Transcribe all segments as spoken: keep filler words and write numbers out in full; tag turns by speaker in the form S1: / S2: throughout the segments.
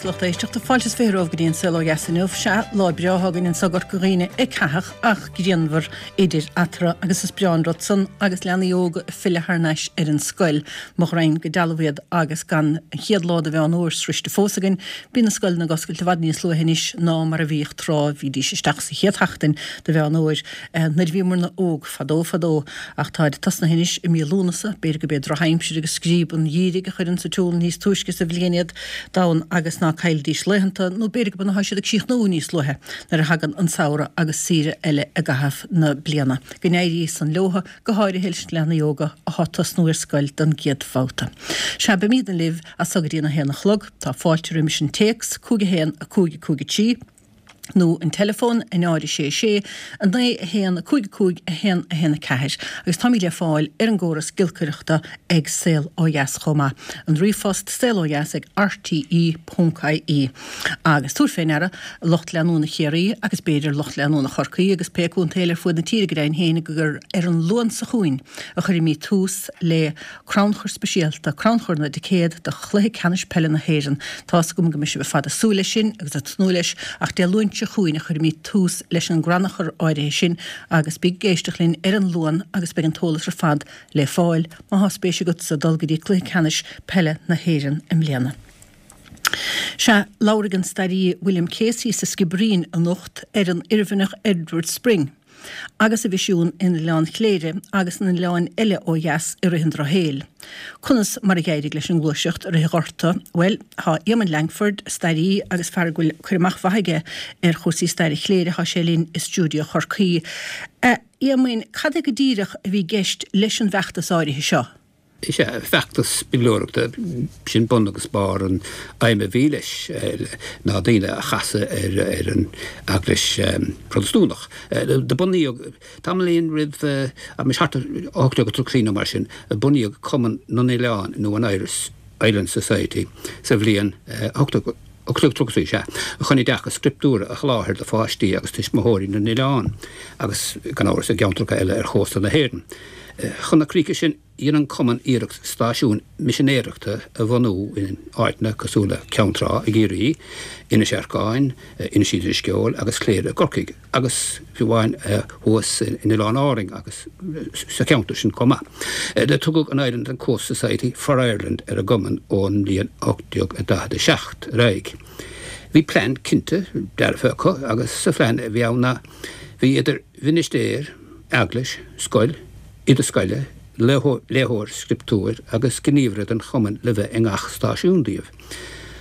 S1: agus lucht éisteachta fáilte is fiche romhaibh go dtí an Saol Ó Dheas inniu. Sea, lá breá againn anseo i gCorca Dhuibhne ag caitheamh ach grianmhar idir eatarthu agus is breá an rud san agus leanaí óga ag filleadh thar n-ais ar an scoil. Mo ghraidhin go dealbh iad agus gan an chéad lá de Mheán Fhómhair sroiste fós againn. Bíonn na scoileanna ag oscailt i bhfad níos luaithe anois ná mar a bhíodh tráth. Bhídís isteach sa chéad sheachtain de Mheán Fhómhair nuair a bhíomarna óg fadó fadó ach táid tosnaithe anois i mí Lúnasa. B'fhéidir go b'é drochaimsir agus scríob an gheimhridh a chuireann sa tsiúl níos túisce sa bhliain iad donn agus ná caillidís laethanta, nó b'fhéidir go mbeidh siad ag críochnú níos luaithe nuair a thagann an samhradh agus saoire eile i gcaitheamh na bliana. Go n-éirí san leotha, go háirithe leis na leanaí óga athá ag tosnú ar scoil don gcéad bhabhta. Sea, beimídne libh as so go dtí an a haon a chlog. Tá fáilte roimis an téacs, cúig a haon, a cúig, a cúig a trí. nó an teileafón, a náid a sé sé, a naoi, a haon, a cúig a cúig, a haon, a haon a ceathair. Agus táimid le fáil ar an gcóras giolcaireachta ag Saol Ó Dheas chomh maith. An ríomhphost, saolodheas ag rte ponc ie. Agus tabhair fé ndeara, lucht leanúna Chiarraí agus b'fhéidir lucht leanúna Chorcaí agus pé contae eile ar fuaid na tíre go deimhin féin gur ar an Luan seo chugainn a chuirfimid tús le crannchur speisialta, crannchur na dticéad do Chluiche Ceannais Peile na hÉireann. Tá's agam go mbeidh sibh ar fad ag súil leis sin agus ag tnúth leis ach Dé Luain seo chugainn a chuirfimid tús leis an gcrannchur áirithe sin agus bí ag éisteacht linn ar an Luan agus beidh an t-eolas ar fad le fáil má thá spéis agatsa dul go dtí Cluiche Ceannais Peile na hÉireann i mbliana. Sea, labharfaidh an staraí William Casey sa Sciobairín anocht ar an Oirmhinneach Edward Spring agus a mhisiún in Oileán Chléire agus in oileáin eile ó dheas i rith an Drochshaoil. Conas mar a d'éirigh leis an ngluaiseacht i rith an Ghorta? Bhuel, tá Éamonn Lankford, staraí agus fear go bhfuil cur amach mhaith aige ar chúrsaí staire Chléire, tá sé linn i stiúideo Chorcaí. A Éamoinn, cad é go díreach a bhí i gceist leis an bhfeachtas áirithe seo?
S2: Is ea, feachtas bileoireachta, sin bun agus barr an aidhm a bhí leis, ná daoine a chasadh ar an Eaglais Protastúnach. Do bunaíodh, tamaillín roimh, abraimis thart ar ocht déag tríocha trí nó mar sin, bunaíodh Cumann na nOileán nó an Irish Island Society sa bhliain ocht déag tríocha trí, sea, chun oideachas scrioptúrtha a sholáthar do pháistí agus tuismitheoirí na n-oileán agus, gan amhras, i gceantracha eile ar chósta na hÉireann. Chun na críche sin, dhein an Cumann iarracht stáisiúin misinéireachta a bhunú in áiteanna cosúil le Ceann Trá i gCiarraí, Inis Earcáin, Inis Uí Drisceoil agus Cléire i gCorcaigh, agus fiú amháin thuas in Oileáin Árainn agus sa cheantar sin chomh maith. Do tugadh an Island and Coast Society for Ireland ar an gCumann ón mbliain ocht déag daichead a seacht ar aghaidh. Bhí plean cinnte dearfa acu agus sa phlean a bhí ann ná bhí idir mhinistéir, eaglais, scoil, oide scoile, léitheoir scrioptúir agus gníomhaire den chumann le bheith i ngach stáisiún díobh.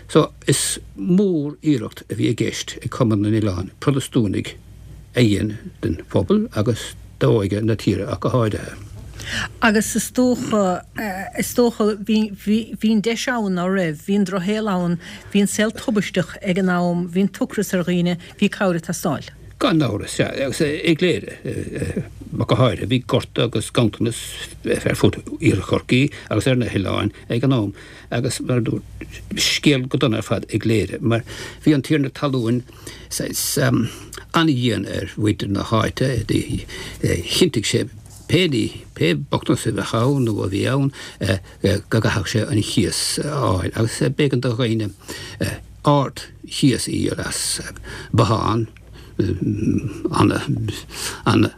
S2: So, is mór iarracht a bhí i gceist ag Cumann na nOileán Protastúnaigh a dhéanamh den phobal agus d'óige na tíre ach go háirithe.
S1: Agus is dócha, is dócha, bhí, bhí, bhí an deis ann, ná raibh? Bhí an drochshaol ann, bhí an saol tubaisteach ag an am, bhí an t-ocras ar dhaoine, bhí cabhair ag teastáil.
S2: Gan amhras, sea, agus i gCléire go háirithe, bhí gorta agus ganntanas ar fud Iarthar Chorcaí agus ar na hoileáin ag an am, agus mar a dúirt, scéal go dona ar fad i gCléire, mar bhí an tiarna talún saghas an-dhian ar mhuintir na háite, chinntigh sé pé ní, pé bochtanas a bheadh ann nó a bhí ann, go gcaithfeadh sé an chíos a fháil, agus b'éigean do dhaoine ard-chíos a dhíol as bothán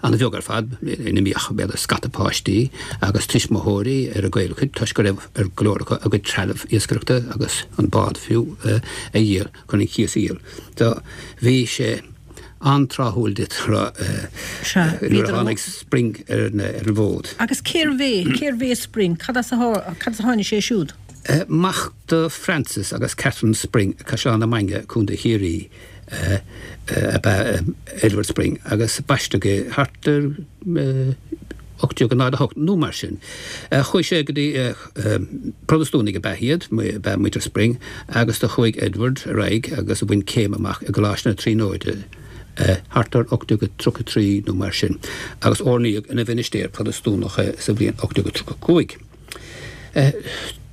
S2: an-bheag ar fad ina mbíodh b'fhéidir scata páistí agus tuismitheoirí ar a gcaolchuid toisc go raibh ar go leor acu a gcuid trealamh iascaireachta agus an bád fiú a dhíol chun an cíos a dhíol. So bhí sé an-tráthúil duit a rá nuair a tháinig Spring ar an bhfód.
S1: Agus cérbh é, cérbh é Spring? Cad as a tháinig sé siúd?
S2: Mac do Francis agus Catherine Spring, Caisleán na Mainge, Contae Chiarraí, ab ea Edward Spring agus baisteadh é thart ar ocht déag náid a hocht nó mar sin. Chuaigh sé go dtí, Protastúnaigh ab ea iad, ab ea muintir Spring, agus do chuaigh Edward ar aghaidh agus bhain céim amach i gColáiste na Tríonóide thart ar ocht déag tríocha trí nó mar sin agus oirníodh ina mhinistéir Protastúnach é sa bhliain ocht déag tríocha cúig.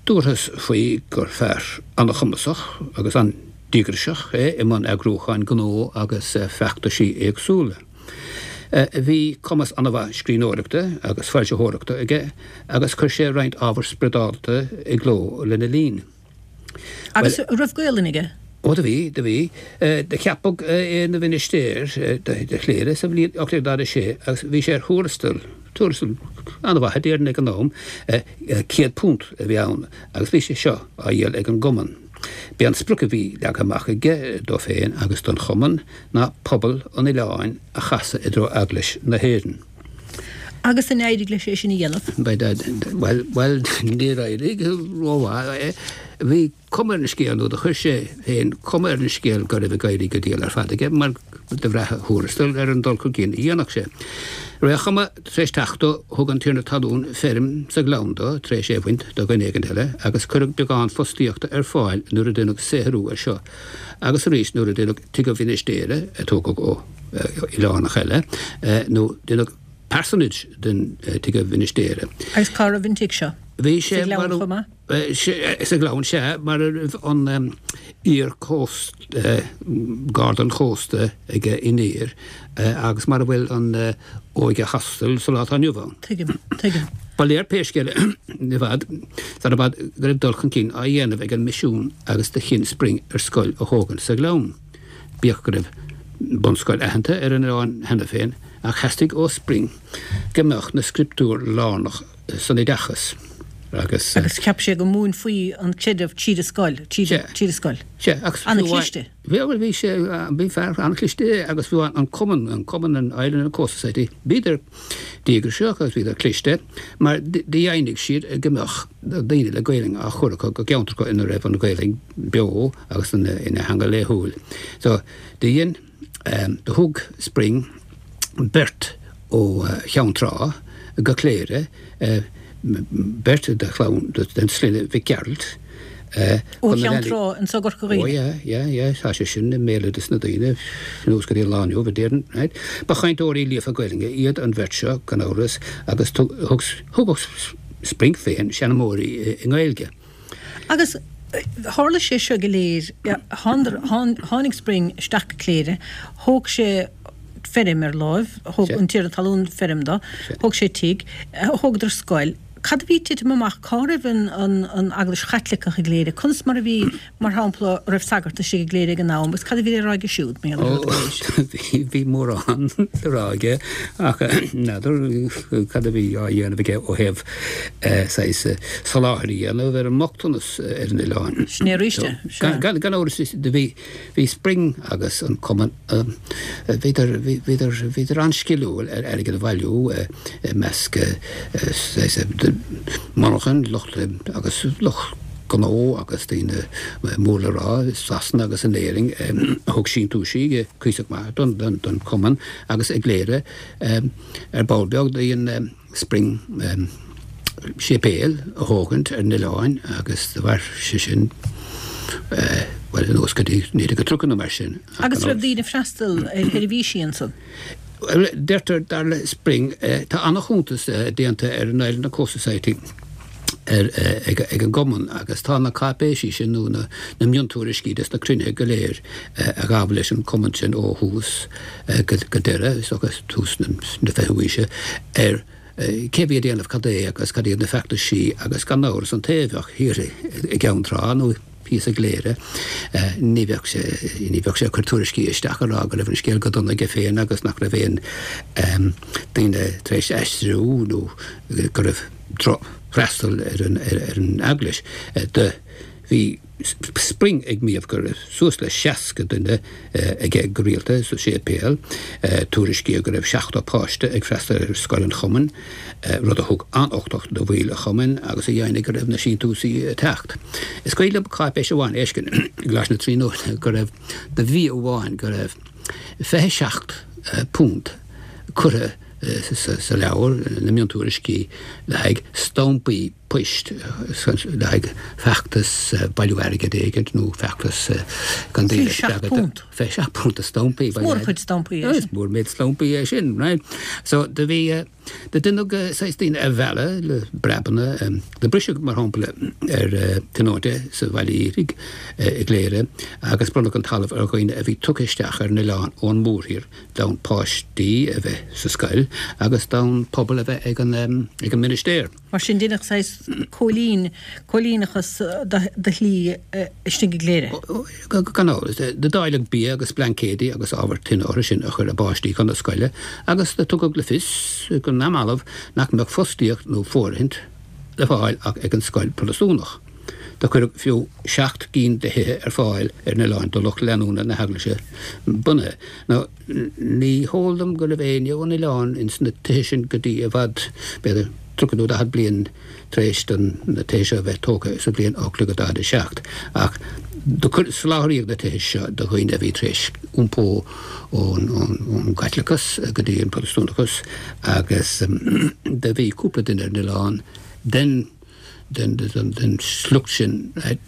S2: Dúrthas faoi gur fear an-chumasach agus an-díograiseach é i mbun eagrúcháin gnó agus feachtaisí éagsúla. Bhí cumas an-mhaith scríbhneoireachta agus foilsitheoireachta aige agus chuir sé roinnt ábhar spioradálta i gcló lena linn.
S1: Agus an raibh Gaolainn aige?
S2: Ó, Ó do bhí, do bhí. Do ceapadh é ina mhinistéir de Chléire sa bhliain ocht déag daichead a sé agus bhí sé ar thuarastal, tuarastal an-mhaith a déarfainn ag an am, céad punt a bhí ann agus bhí sé seo á dhíol ag an gcumann. B'é an sprioc a bhí leagtha amach aige dó féin agus don chumann ná pobal an oileáin a chasadh i dtreo Eaglais na hÉireann.
S1: Agus an éirigh leis é sin a dhéanamh?
S2: Bhuel, bhuel, níor éirigh rómhaith. Bhí cuma ar an scéal, nó do chuir sé féin cuma ar an scéal go raibh ag éirí go diail ar fad aige, mar do bhraith a thuarastal ar an dul chun cinn a dhéanfadh sé. Ré a chuma tar éis teacht dó, thug an tiarna talún feirm sa ghleann dó, tar éis é a bhaint do dhuine éigin eile, agus cuireadh beagán fostaíochta ar fáil nuair a deineadh saothrú air seo, agus arís nuair a deineadh tigh an mhinistéara, a tógadh ó oileánach eile, nó deineadh parsonage den tigh an mhinistéara.
S1: Agus cá raibh an tigh seo?
S2: Bhí sé
S1: Sa Ghleann chomh maith?
S2: Sa Ghleann, sea, mar a raibh an iar-chósta, Garda an Chósta aige in Oírr agus mar a bhfuil an Óige Hostel sa lá atá inniu ann.
S1: Tuigim, tuigim.
S2: Ba léir pé scéal é, i bhfad, sar i bhfad go raibh dul chun cinn á dhéanamh ag an misiún agus do chinn Spring ar scoil a thógaint sa Ghleann. Bíodh go raibh bunscoil aitheanta ar an oileán cheana féin, ach theastaigh ó Spring go mbeadh na scrioptúir lárnach san oideachas
S1: agus. Agus cheap sé go múinfí an creideamh tríd an scoil, tríd an scoil.
S2: Sea, agus fiú amháin.
S1: An-chliste.
S2: Bhí, bhuel, bhí sé, bhí fear an-chliste é agus fiú amháin an cumann, an cumann, an Island and Coast Society, bhíodar díograiseach agus bhíodar cliste mar dheimhnigh siad go mbeadh daoine le Gaelainn á chur acu go gceantracha ina raibh an Ghaelainn beo agus ina theanga laethúil. So, do dhein, do thug Spring beirt ó Cheann Trá go Cléire, beirt de chlann den sloinne Mhic Gearailt,
S1: Ó Cheann Trá anso i gCorca Dhuibhne.
S2: Ó yeah, yeah, yeah, tá sé sin i mbéaloideas na daoine anuas go dtí an lá inniu, a déarfainn, right. Ba chainteoirí líofa Gaelainne iad an bheirt seo, gan amhras, agus thugadh Spring féin seanmóirí i nGaeilge.
S1: Agus tharla sé seo go léir, tháinig Spring isteach go Cléire, thóg sé feirm ar láimh, thóg an tiarna talún feirm dó, thóg sé tigh, thógadar scoil. Cad a bhí ag titim amach? Cá raibh an Eaglais Chaitliceach i gCléire? Conas mar a bhí, mar shampla, an raibh sagart istigh i gCléire ag an am agus cad a bhí le rá aige siúd mar gheall ar
S2: rud Ó, bhí mórán le rá aige ach n'fheadar cad a bhí á dhéanamh aige ó thaobh saghas soláthair a dhéanamh ar an mbochtanas ar an oileán.
S1: Sin é arís é,
S2: sea. Gan amhras, bhí Bhí Spring agus an cumann, bhíodar, bhíodar, bhíodar an-sciliúil ar airgead a bhailiú i measc monarchan, lucht agus lucht gnó agus daoine mór le rá i Sasana agus in Éirinn a thug síntiúisí cuíosach maith don, don, don chumann agus i gCléire ar ball beag do dhein Spring séipéal a thógaint ar an oileán agus do mhair sé sin bhuel anuas go dtí naoi déag tríocha nó mar sin.
S1: Agus raibh daoine ag freastal ar sheirbhísí ansan?
S2: Bhuel, deirtear, dar le Spring, tá an-chuntas déanta ar an Island and Coast Society ar ag an gcumann agus tá na cáipéisí sin nó na miontuairiscí des na cruinnithe go léir a ghabh leis an chumann sin ó thús go deireadh, is dócha tús na fichiú haoise, ar cé a bhí ag déanamh cad é agus cad iad na feachtaisí agus gan amhras an té a bheadh thiar i gCeann Trá nó thíos i gCléire ní bheadh sé ní bheadh sé ag cur tuairiscí isteach ag rá go raibh an scéal go dona aige féin agus nach raibh aon daoine tar éis aistriú nó go raibh drochfhreastal ar an ar an eaglais. Do bhí Spring ag maíomh go raibh suas le seasca duine aige go rialta sa séipéal. Tuairiscíodh go raibh seachtó páiste ag freastal ar scoil an chumainn, rud a thug an-uchtach do bhaill an chumainn agus a dheimhnigh go raibh na síntiúsaí ag teacht. Is cuimhin liom cáipéis amháin a fheiscint i gColáiste na Tríonóide go raibh, do mhí amháin, go raibh fiche seacht punt curtha sa leabhar, na miontuairiscí le haghaidh stampaí poist, le haghaidh feachtas bailiú airgid éigint nó feachtas chun daoine a spreagadh.
S1: Fiche seacht
S2: punt de stampaí.
S1: Is mór an chuid stampaí
S2: é sin. Is mór méid stampaí é sin, right. So do bhí, do deineadh saghas daoine a mhealladh le breabanna, do briseadh mar shampla ar tionónta sa Bhaile Dhíthigh i gCléire agus bronnadh an talamh ar dhaoine a bhí tugtha isteach ar an oileán ón mórthír d'fhonn páistí a bheith sa scoil agus d'fhonn pobal a bheith ag an ag an ministéir.
S1: Mar sin deineadh saghas cóilín, cóilíneachas de shlí istigh i gCléire.
S2: Gan amhras. Do dáileadh bia agus blaincéidí agus ábhar tine orthu sin a chuir a bpáistí chun na scoile agus do tugadh le fios go neamhbhalbh nach mbeadh fostaíocht nó fóirithint le fáil ach ag an scoil Protastúnach. Do cuireadh fiú seacht gcinn de thithe ar fáil ar an oileán do lucht leanúna na heaglaise bunaithe. Now, ní heol dom go raibh éinne ón oileán ins na tithe sin go dtí i bhfad, b'fhéidir tríocha nó daichead bliain tar éis do na tithe seo a bheith tógtha sa bhliain ocht déag daichead a seacht. Ach do soláthraíodh na tithe seo do dhaoine a bhí tar éis iompó ón gCaitliceachas go dtí an Protastúnachas agus do bhí cúpla duine ar an oileán den den sliocht sin a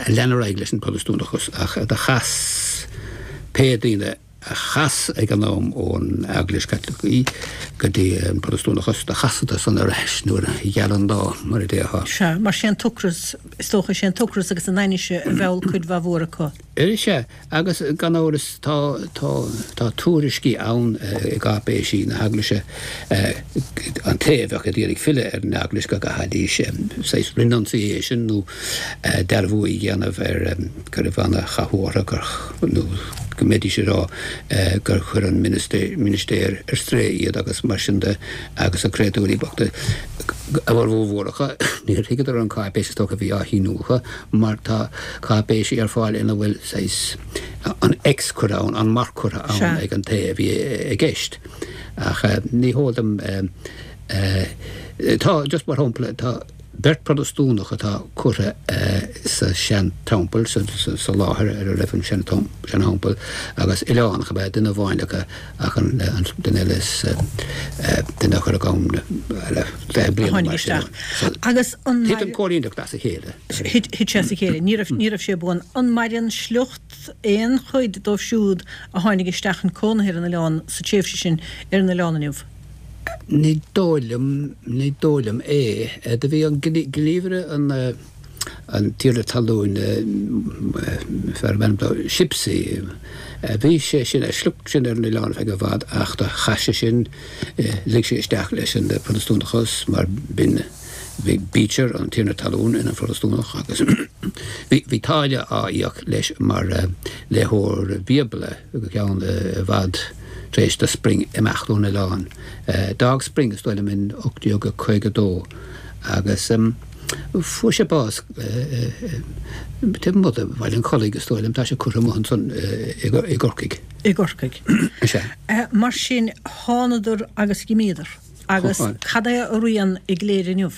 S2: lean ar aghaidh leis an bProtastúnachas ach do chas pé daoine a chas ag an am ón Eaglais Chaitliceach go dtí an Protastúnachas, do chasadar san ar ais nuair a gheal an lá, mar a déarfá.
S1: Sea, mar sé an t-ocras, is dócha, sé an t-ocras agus an ainnise a mheall cuid mhaith mhór acu.
S2: Sea, agus gan amhras tá, tá, tá tuairiscí ann i gcáipéisí na hEaglaise, an té a bheadh ag iarraidh filleadh ar an Eaglais go gcaithfidís saghas renunciation nó dearbhú a dhéanamh ar go raibh ana-chathú orthu gur, nó go mbeidís ag rá gur chuir an ministéir ar strae iad agus mar sin de agus na créatúirí bochta, a bhformhór acu, níor thuigeadar an cáipéis is dócha a bhí á shíniú acu mar tá cáipéisí ar fáil ina bhfuil saghas an X curtha ann, an marc curtha ann ag an té a bhí i gceist. Ach ní heol dom, tá, just mar shampla, tá beirt Protastúnach atá curtha sa sean-teampall, sa láthair ar a raibh an sean-teampall, agus oileánach ab ea duine amháin acu ach an duine eile is duine a cuireadh ann le fiche bliain nó mar sin.
S1: Agus an.
S2: Thit an chóilíneacht as a chéile.
S1: Thit sé as a chéile. Ní raibh, ní raibh sé buan. An maireann sliocht aon chuid dóibh siúd a tháinig isteach chun cónaithe ar an oileán sa tréimhse sin ar an oileán inniu?
S2: Ní dóigh liom, ní dóigh liom é. Do bhí an gníomhaire, an an tiarna talún, fear arbh ainm dó Shipsey, bhí sé sin, a shliocht sin ar an oileán ar feadh i bhfad ach do chas sé sin, lig sé isteach leis an Protastúnachas mar b'in, bhí Beecher, an tiarna talún, ina Phrotastúnach agus bhí, bhí táille á íoc leis mar léitheoir Bíobla go ceann i bhfad. Tar éis do Spring imeacht ón oileán. D'fhág Spring, is dóigh liom, in ocht déag caoga a dó agus fuair sé bás taobh amuigh de Bhaile an Chollaigh, is dóigh liom. Tá sé curtha amuigh ansan i gCorcaigh.
S1: I gCorcaigh.
S2: Sea.
S1: Mar sin, thánadar agus dh'imíodar. Agus cad é a rian i gCléire inniu?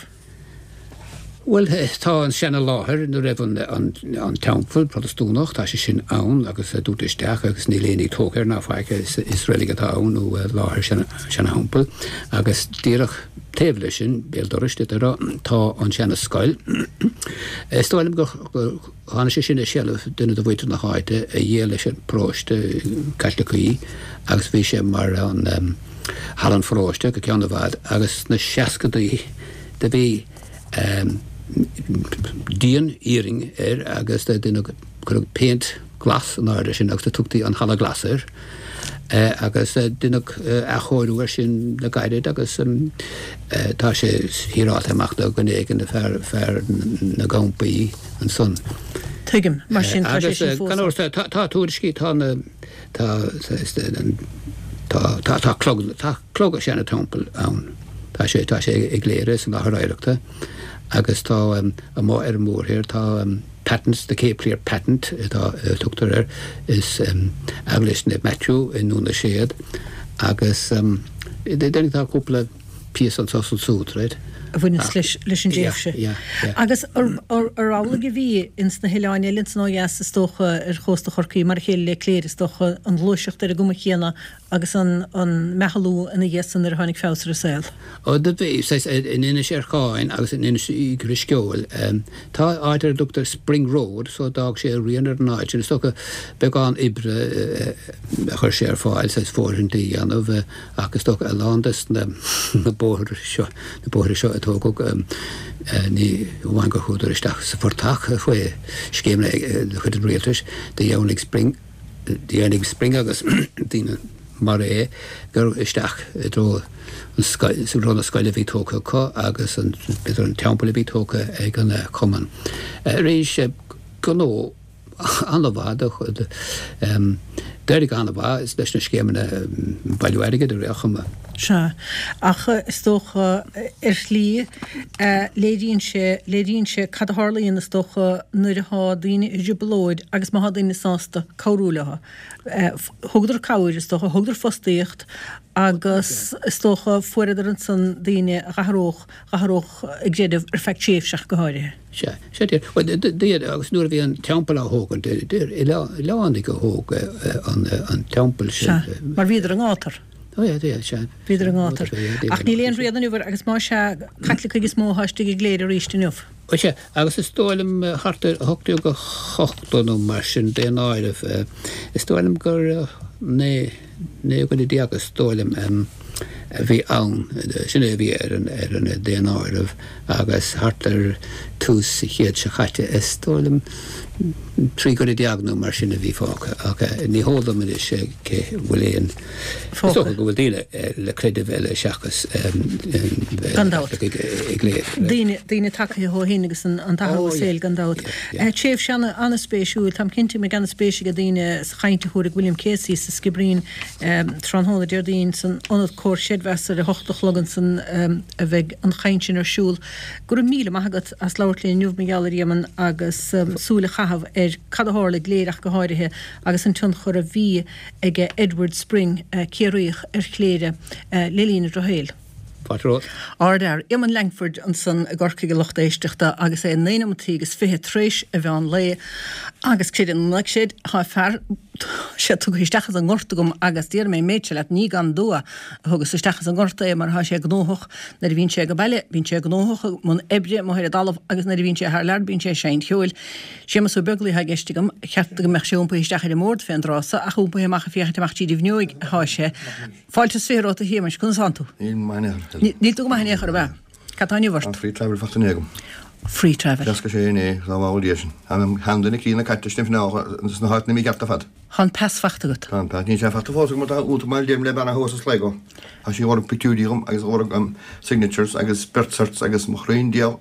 S2: Bhuel, tá an seana-láthair ina raibh an teampall Protastúnach, tá sé sin ann agus dúnta isteach agus níl aon ní tógtha air ná faic, is reilig atá ann nó láthair seana-theampaill agus díreach taobh leis sin, béal dorais, d'fhéadfá a rá, tá an seana-scoil. Is dóigh liom gur tháinig sé sin i seilbh duine de mhuintir na háite a dhíol leis an bparóiste Caitliceach í agus bhí sé mar an halla an pharóiste go ceann i bhfad agus sna seascadaí do bhí díon iarainn air agus do deineadh, cuireadh péint glas in airde sin agus do tugtaí an Halla Glas air agus deineadh athchóiriú air sin le gairid agus tá sé híreáilte amach do dhuine éigin, fear, fear na gcampaí ansan.
S1: Tuigim, mar sin tá sé sin fós
S2: ann. Agus gan amhras, tá tuairiscí, tá na, tá, tá, tá clog, tá clog an seana-teampaill ann. Tá sé, tá sé i gCléire san Láthair Oidhreachta agus tá amuigh ar an mórthír, tá Patents, the Cape Clear Patent atá, a tugtar air, is Eaglais Naomh Maitiú i nDún na Séad agus déarfainn tá cúpla píosa anso is ansúd, right?
S1: a bhaineanns leis, leis an dtréimhse.
S2: Yeah, yeah, yeah.
S1: Agus ar, ar, ar amhlaidh a bhí ins na hoileáin eile ansan ó dheas is dócha ar chósta Chorcaí, mar a chéile le Cléire is dócha, an ghluaiseacht ar an gcuma chéanna Agus an meathlú ina dhiaidh san nuair a tháinig feabhas ar an saol.
S2: Ó do bhí, saghas, in Inis Earcáin agus in Inis Drisceoil. Tá áit ar a dtugtar Spring Road so d'fhág sé a rian ar an áit sin. Is dócha beagán oibre a chuir sé ar fáil, saghas fóirithintí a dhéanamh ach is dócha a lán des na bóithre seo, na bóithre seo a tógadh, ní amháin gur chuadar isteach sa phortach faoi scéimeanna de chuid an rialtais, do dheimhnigh Spring, Dheimhnigh Spring agus daoine mar é gur isteach i dtreo an scoil, sa dtreo na scoile a bhí tógtha acu agus an, b'fhéidir an teampall a bhí tógtha ag an cumann. Rinne sé gnó an-mhaith, d'éirigh an-mhaith leis na scéimeanna bailiú airgid ar aon chuma.
S1: Sea, ach is dócha, ar shlí, léiríonn sé, léiríonn sé cad a tharlaíonn, is dócha, nuair atá daoine i dtrioblóid agus má thá daoine sásta cabhrú leo. Thugadar cabhair, is dócha, thugadar fostaíocht agus is dócha fuaireadar ansan daoine a dh'athródh, dh'athródh a gcreideamh ar feadh tréimhse ach go háirithe.
S2: Sea, sea, dear. Bhuel, dear, agus nuair a bhí an teampall á thógaint, dear, oileánaigh a thóg an teampall sin.
S1: Sea, mar bhíodar i ngátar.
S2: Ó, yeah, yeah, sea.
S1: Bhíodar i ngátar. Ach níl aon rian inniu air, agus má sea, Caitlicigh is mó atá istigh i gCléire arís inniu.
S2: Ó, sea, agus is dóigh liom thart ar ocht déag ochtó nó mar sin, daonáireamh, is dóigh liom gur naoi, naoi dhuine déag is dóigh liom, a bhí ann, sin é a bhí ar an ar an daonáireamh agus thart ar tús an chéid seo chaite is dóigh liom trí dhuine déag nó mar sin a bhí fágtha ach ní heol dom anois cé bhfuil aon is dócha go bhfuil daoine le creideamh eile seachas
S1: Gan dabht.
S2: i gCléire.
S1: Daoine daoine tagtha ó shin agus an an t-athrú saoil gan dabht. Tréimhse ana ana-spéisiúil, táim cinnte go mbeidh ana-spéis ag daoine sa chaint a thabharfaidh William Casey sa Sciobairín tráthnóna Déardaoin san Ionad Comhar Creidmheasa ar a hocht a chlog ansan a bheidh an chaint sin ar siúl. Go raibh míle maith agat as labhairt linn inniu mar gheall air a Éamoinn agus súil a chaitheamh ar cad a tharla i gCléire ach go háirithe agus an tionchar a bhí aige Edward Spring, Ciarraíoch, ar Chléire le linn a dhrochshaoil.
S2: Fáilte romhat.
S1: Ardfhear, Éamonn Lankford ansan i gCorcaigh a lucht éisteachta agus é naoi nóimeataí agus fiche tar éis an mheán lae agus creid é nó ná creid, tá fear, tá sé tugtha isteach as an ngort agam agus déarfaidh mé an méid seo leat, ní gan dua a thugas isteach as an ngort é mar tá sé gnóthach nuair a bhíonn sé ag baile, bíonn sé gnóthach i mbun oibre amuigh ar an dtalamh agus nuair a bhíonn sé thar lear bíonn sé ag seinnt cheoil. Séamus Ó Beaglaoich atá i gceist agam, cheart go mbeadh sé iompaithe isteach ar an mbord fén dtráth so ach iompaithe amach ag féachaint amach tríd an bhfuinneoig atá sé. Fáilte is fiche romhat a Shéamais, conas tánn tú?
S3: Níl maith in aon chor.
S1: Níl tú go maith in aon chor, ab ea? Cad tá inniu ort?
S3: Tá free travel faighte inné agam.
S1: Free travel.
S3: D'éascaigh sé inné, dá bhall Dia sin. Tá an duine críonna caite sna sna háiteanna míchearta ar fad.
S1: Tá an pas faighte agat.
S3: Tá an pas. Níl sé faighte fós agam mar tá útamáil déanta le bean thuas i Sligo. Tá sí ag lorg pictiúirí dhom agus ag lorg signatures agus birth certs agus mo chroí Dia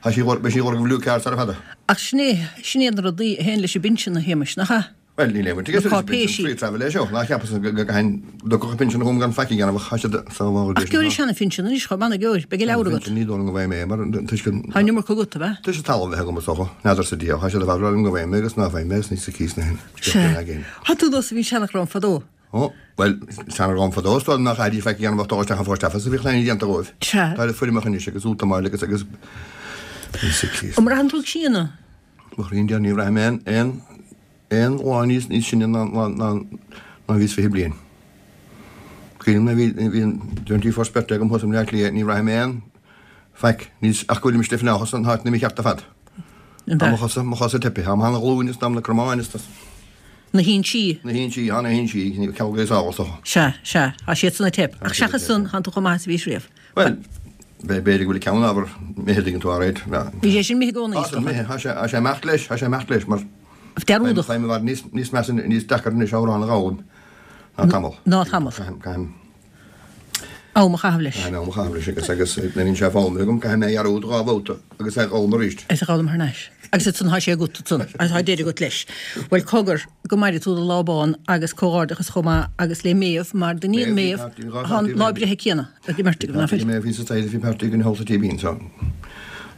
S3: tá sí ag lorg beidh sí ag lorg blue cards sara fada.
S1: Ach sin é, sin iad na rudaí a théann leis an bpinsean, a Shéamais, nach ea?
S3: Bhuel, níl aon bhaint aige
S1: Na
S3: leis an bpinsean,
S1: cáipéisí.
S3: free travel é seo. Ná cheapas go gcaithfinn, dtiocfadh an pinsean chugam gan faic a dhéanamh ach tá siad sábháil
S1: Ach gheobhaidh seana-phinsean anois chomh maith, gheobhaidh, beidh an leabhar agat.
S3: Ní dóigh liom go bhfaighidh mé é mar toisc an.
S1: Tá an iomarca agat, ab ea?
S3: Toisc an talamh a bheith agam is dócha. N'fheadarsa Dia, tá siad ar fad ag rá liom go bhfaighidh mé agus ná faighidh mé agus ní sa cíos na hin.
S1: Sea. Tá tú nós a bhí seanchrann fadó.
S3: Ó, bhuel, seanchrann fadó is dóigh liom nach gcaithfidís faic a dhéanamh ach dul isteach an post office a bhí clainne déanta dhóibh.
S1: Sea.
S3: Tá le foirmeacha anois agus útamáil agus agus ní sa cíos.
S1: An mbraitheann tú ag síneadh?
S3: Mo chroí Dia, ní bhraithim aon, aon. Aon lá níos níos sine ná ná ná ná bhíos fiche bliain. Cuimhním nuair a bhí bhí an twenty first birthday agam thuas i mBleá Cliath ní bhraithim aon faic níos ach go bhfuilim istigh fanacht san áit mícheart ar fad. Tá mo chosa mo chosa teipthe, tá mo ghlúin is tá na cromáin is tá
S1: Na hinsí.
S3: Na hinsí, tá na hinsí, ceal go sábháil so.
S1: Sea, sea, tá siad san ag teip. Ach seachas san, tánn tú chomh maith is a bhís riamh.
S3: Bhuel, b'fhéidir go bhfuil ceann ábhar imithe dtuigeann tú alright.
S1: Bhí sé sin imithe i gcónaí, is
S3: dócha. Tá sé, tá sé imeacht leis, tá sé imeacht leis mar
S1: Dearúdach.
S3: Faighim i bhfad níos, níos measa, níos deacair anois amhrán a dh'fhoghlaim ná tamall.
S1: Ná tamall.
S3: Caithim, caithim.
S1: Am a chaitheamh leis.
S3: Caithim am a chaitheamh leis agus, agus nuair a bhíonn sé foghlamtha agam, caithfidh mé a dhearúd dhá bhabhta agus é a dh'fhoghlaim arís.
S1: Is a dh'fhoghlaim thar n-ais. Agus ansan tá sé agat ansan, agus tá deireadh agat leis. Bhuel, cogar, go maire tú do lá bán agus comhghairdeachas chomh maith agus le Méabh, mar d'iníon
S3: Méabh,
S1: Méabh, tá an lá breithe céanna ag an mbeirt agaibh, ná fuil?
S3: Méabh, bhí sa taighde, bhí páirtí againn thall sa Tí Bín, so.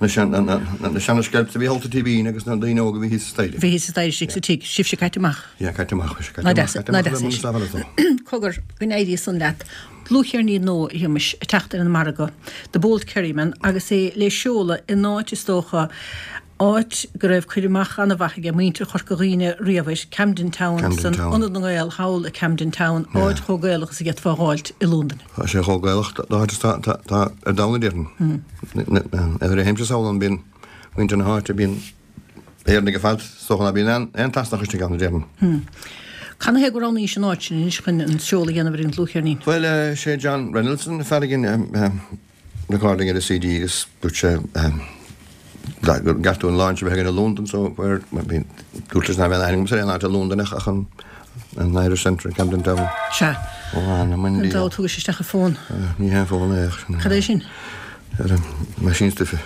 S3: Na seana-sceilps a bhí thall sa Tí Bín agus na daoine óga a bhí thíos sa staighre.
S1: Bhí thíos sa staighre istigh sa tigh. Sibhse caite amach.
S3: Yeah, caite amach. Bhí sé caite
S1: Ná
S3: amach.
S1: deas,
S3: Caite
S1: ná
S3: amach
S1: deas
S3: le
S1: é sin.
S3: Munis Lavelle.
S1: Cogar, go n-éirí san leat. Dlúthcheirnín nua, a Shéamais, ag teacht ar an margadh, The Bold Kerryman, agus é le seoladh in áit, is dócha, áit go raibh cur amach an-mhaith aige muintir Chorca Dhuibhne riamh air, Camden Town,
S3: Camden
S1: san
S3: Town.
S1: Ionad na nGael thall i Camden Town, áit chomh Gaelach is a d'fhéadfá a dh'fháilt i Londain.
S3: Tá sé chomh Gaelach dá háit is tá tá ar domhan a déarfainn. Nuair a théimse sall ann bíonn muintir na háite, bíonn Éireannaigh ar fad, is dócha ná bíonn aon aon tSasanach istigh ann a déarfainn.
S1: Cad ina thaobh gur roghnaís an áit sin anois chun an seoladh a dhéanamh ar an dlúthcheirnín?
S3: Bhuel, sé John Reynolds an fear a dhein recording ar an CD agus dúirt sé gur gceart dúinn launch a bheith againn i Londain so where dúirt leis ná bheith aon aithne agamsa ar aon áit i Londain ach ach an an Irish Centre in Camden Town.
S1: Sea.
S3: Ó, anam i nDia.
S1: An dá thugais isteach an fón.
S3: Ní haon fón é.
S1: Cad é sin?
S3: Meaisín stuife.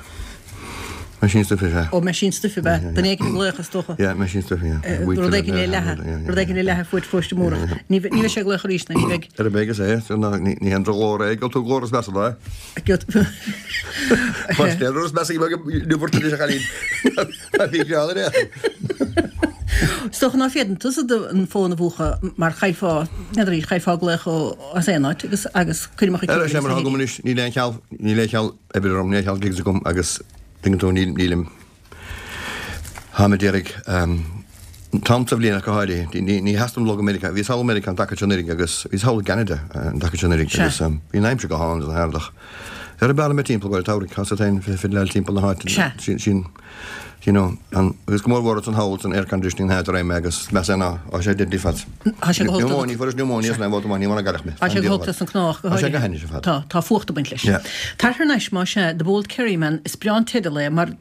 S3: Meaisín stuife, sea.
S1: Ó, meaisín stuife, ab ea? Duine éigin ag glaoch, is dócha.
S3: Yeah, meaisín stuife, yeah.
S1: Rud éigin le leathadh. Rud éigin le leathadh fuaid Pharóiste Múrach. Ní bheidh sé ag glaoch arís, ná ní bheidh.
S3: Ar a bheidh is é, ní haon drochghlór é, gheobhaidh tú glór is measa ná é. Más é rud is measa go ndúirt tú leis an chailín. Bhí greann ar é.
S1: Is dócha ná féadann tusa an fón a mhúchadh mar chaillfeá, n'fheadar, chaillfeá glaoch ó as aon áit agus agus cuir amach
S3: Ar sé mar atá agam anois, níl aon cheal, níl aon cheal oibre orm, níl aon cheal gigs agam agus tuigeann tú, níl, nílim, táim a d'iarraidh, an t-am sa bhliain ach go háirithe, ní, ní theastaím dul go Meiriceá, bhíos thall i Meiriceá an taca seo anuraidh agus bhíos thall i gCeanada an taca seo anuraidh agus bhí an aimsir go hálainn agus an t-earrach. Ar an bealach mé timpeall go dtí tá féin fiddleáil timpeall na háite. Sin, sin, you know, an, agus go mór mhór ansan thall san air conditioning na háite a raibh mé agus meas é ná, tá sé deadly fad.
S1: Tá sé go holc.
S3: Pneumonia, fuaireas pneumonia san am ní mar a gcailleadh mé.
S1: Tá sé go holc leis an cnámh go
S3: Tá sé go hainnis ar fad.
S1: Tá, tá fuacht ag baint leis.
S3: Yeah.
S1: Tar thar n-ais más ea, The Bold Kerryman, is breá an teideal é mar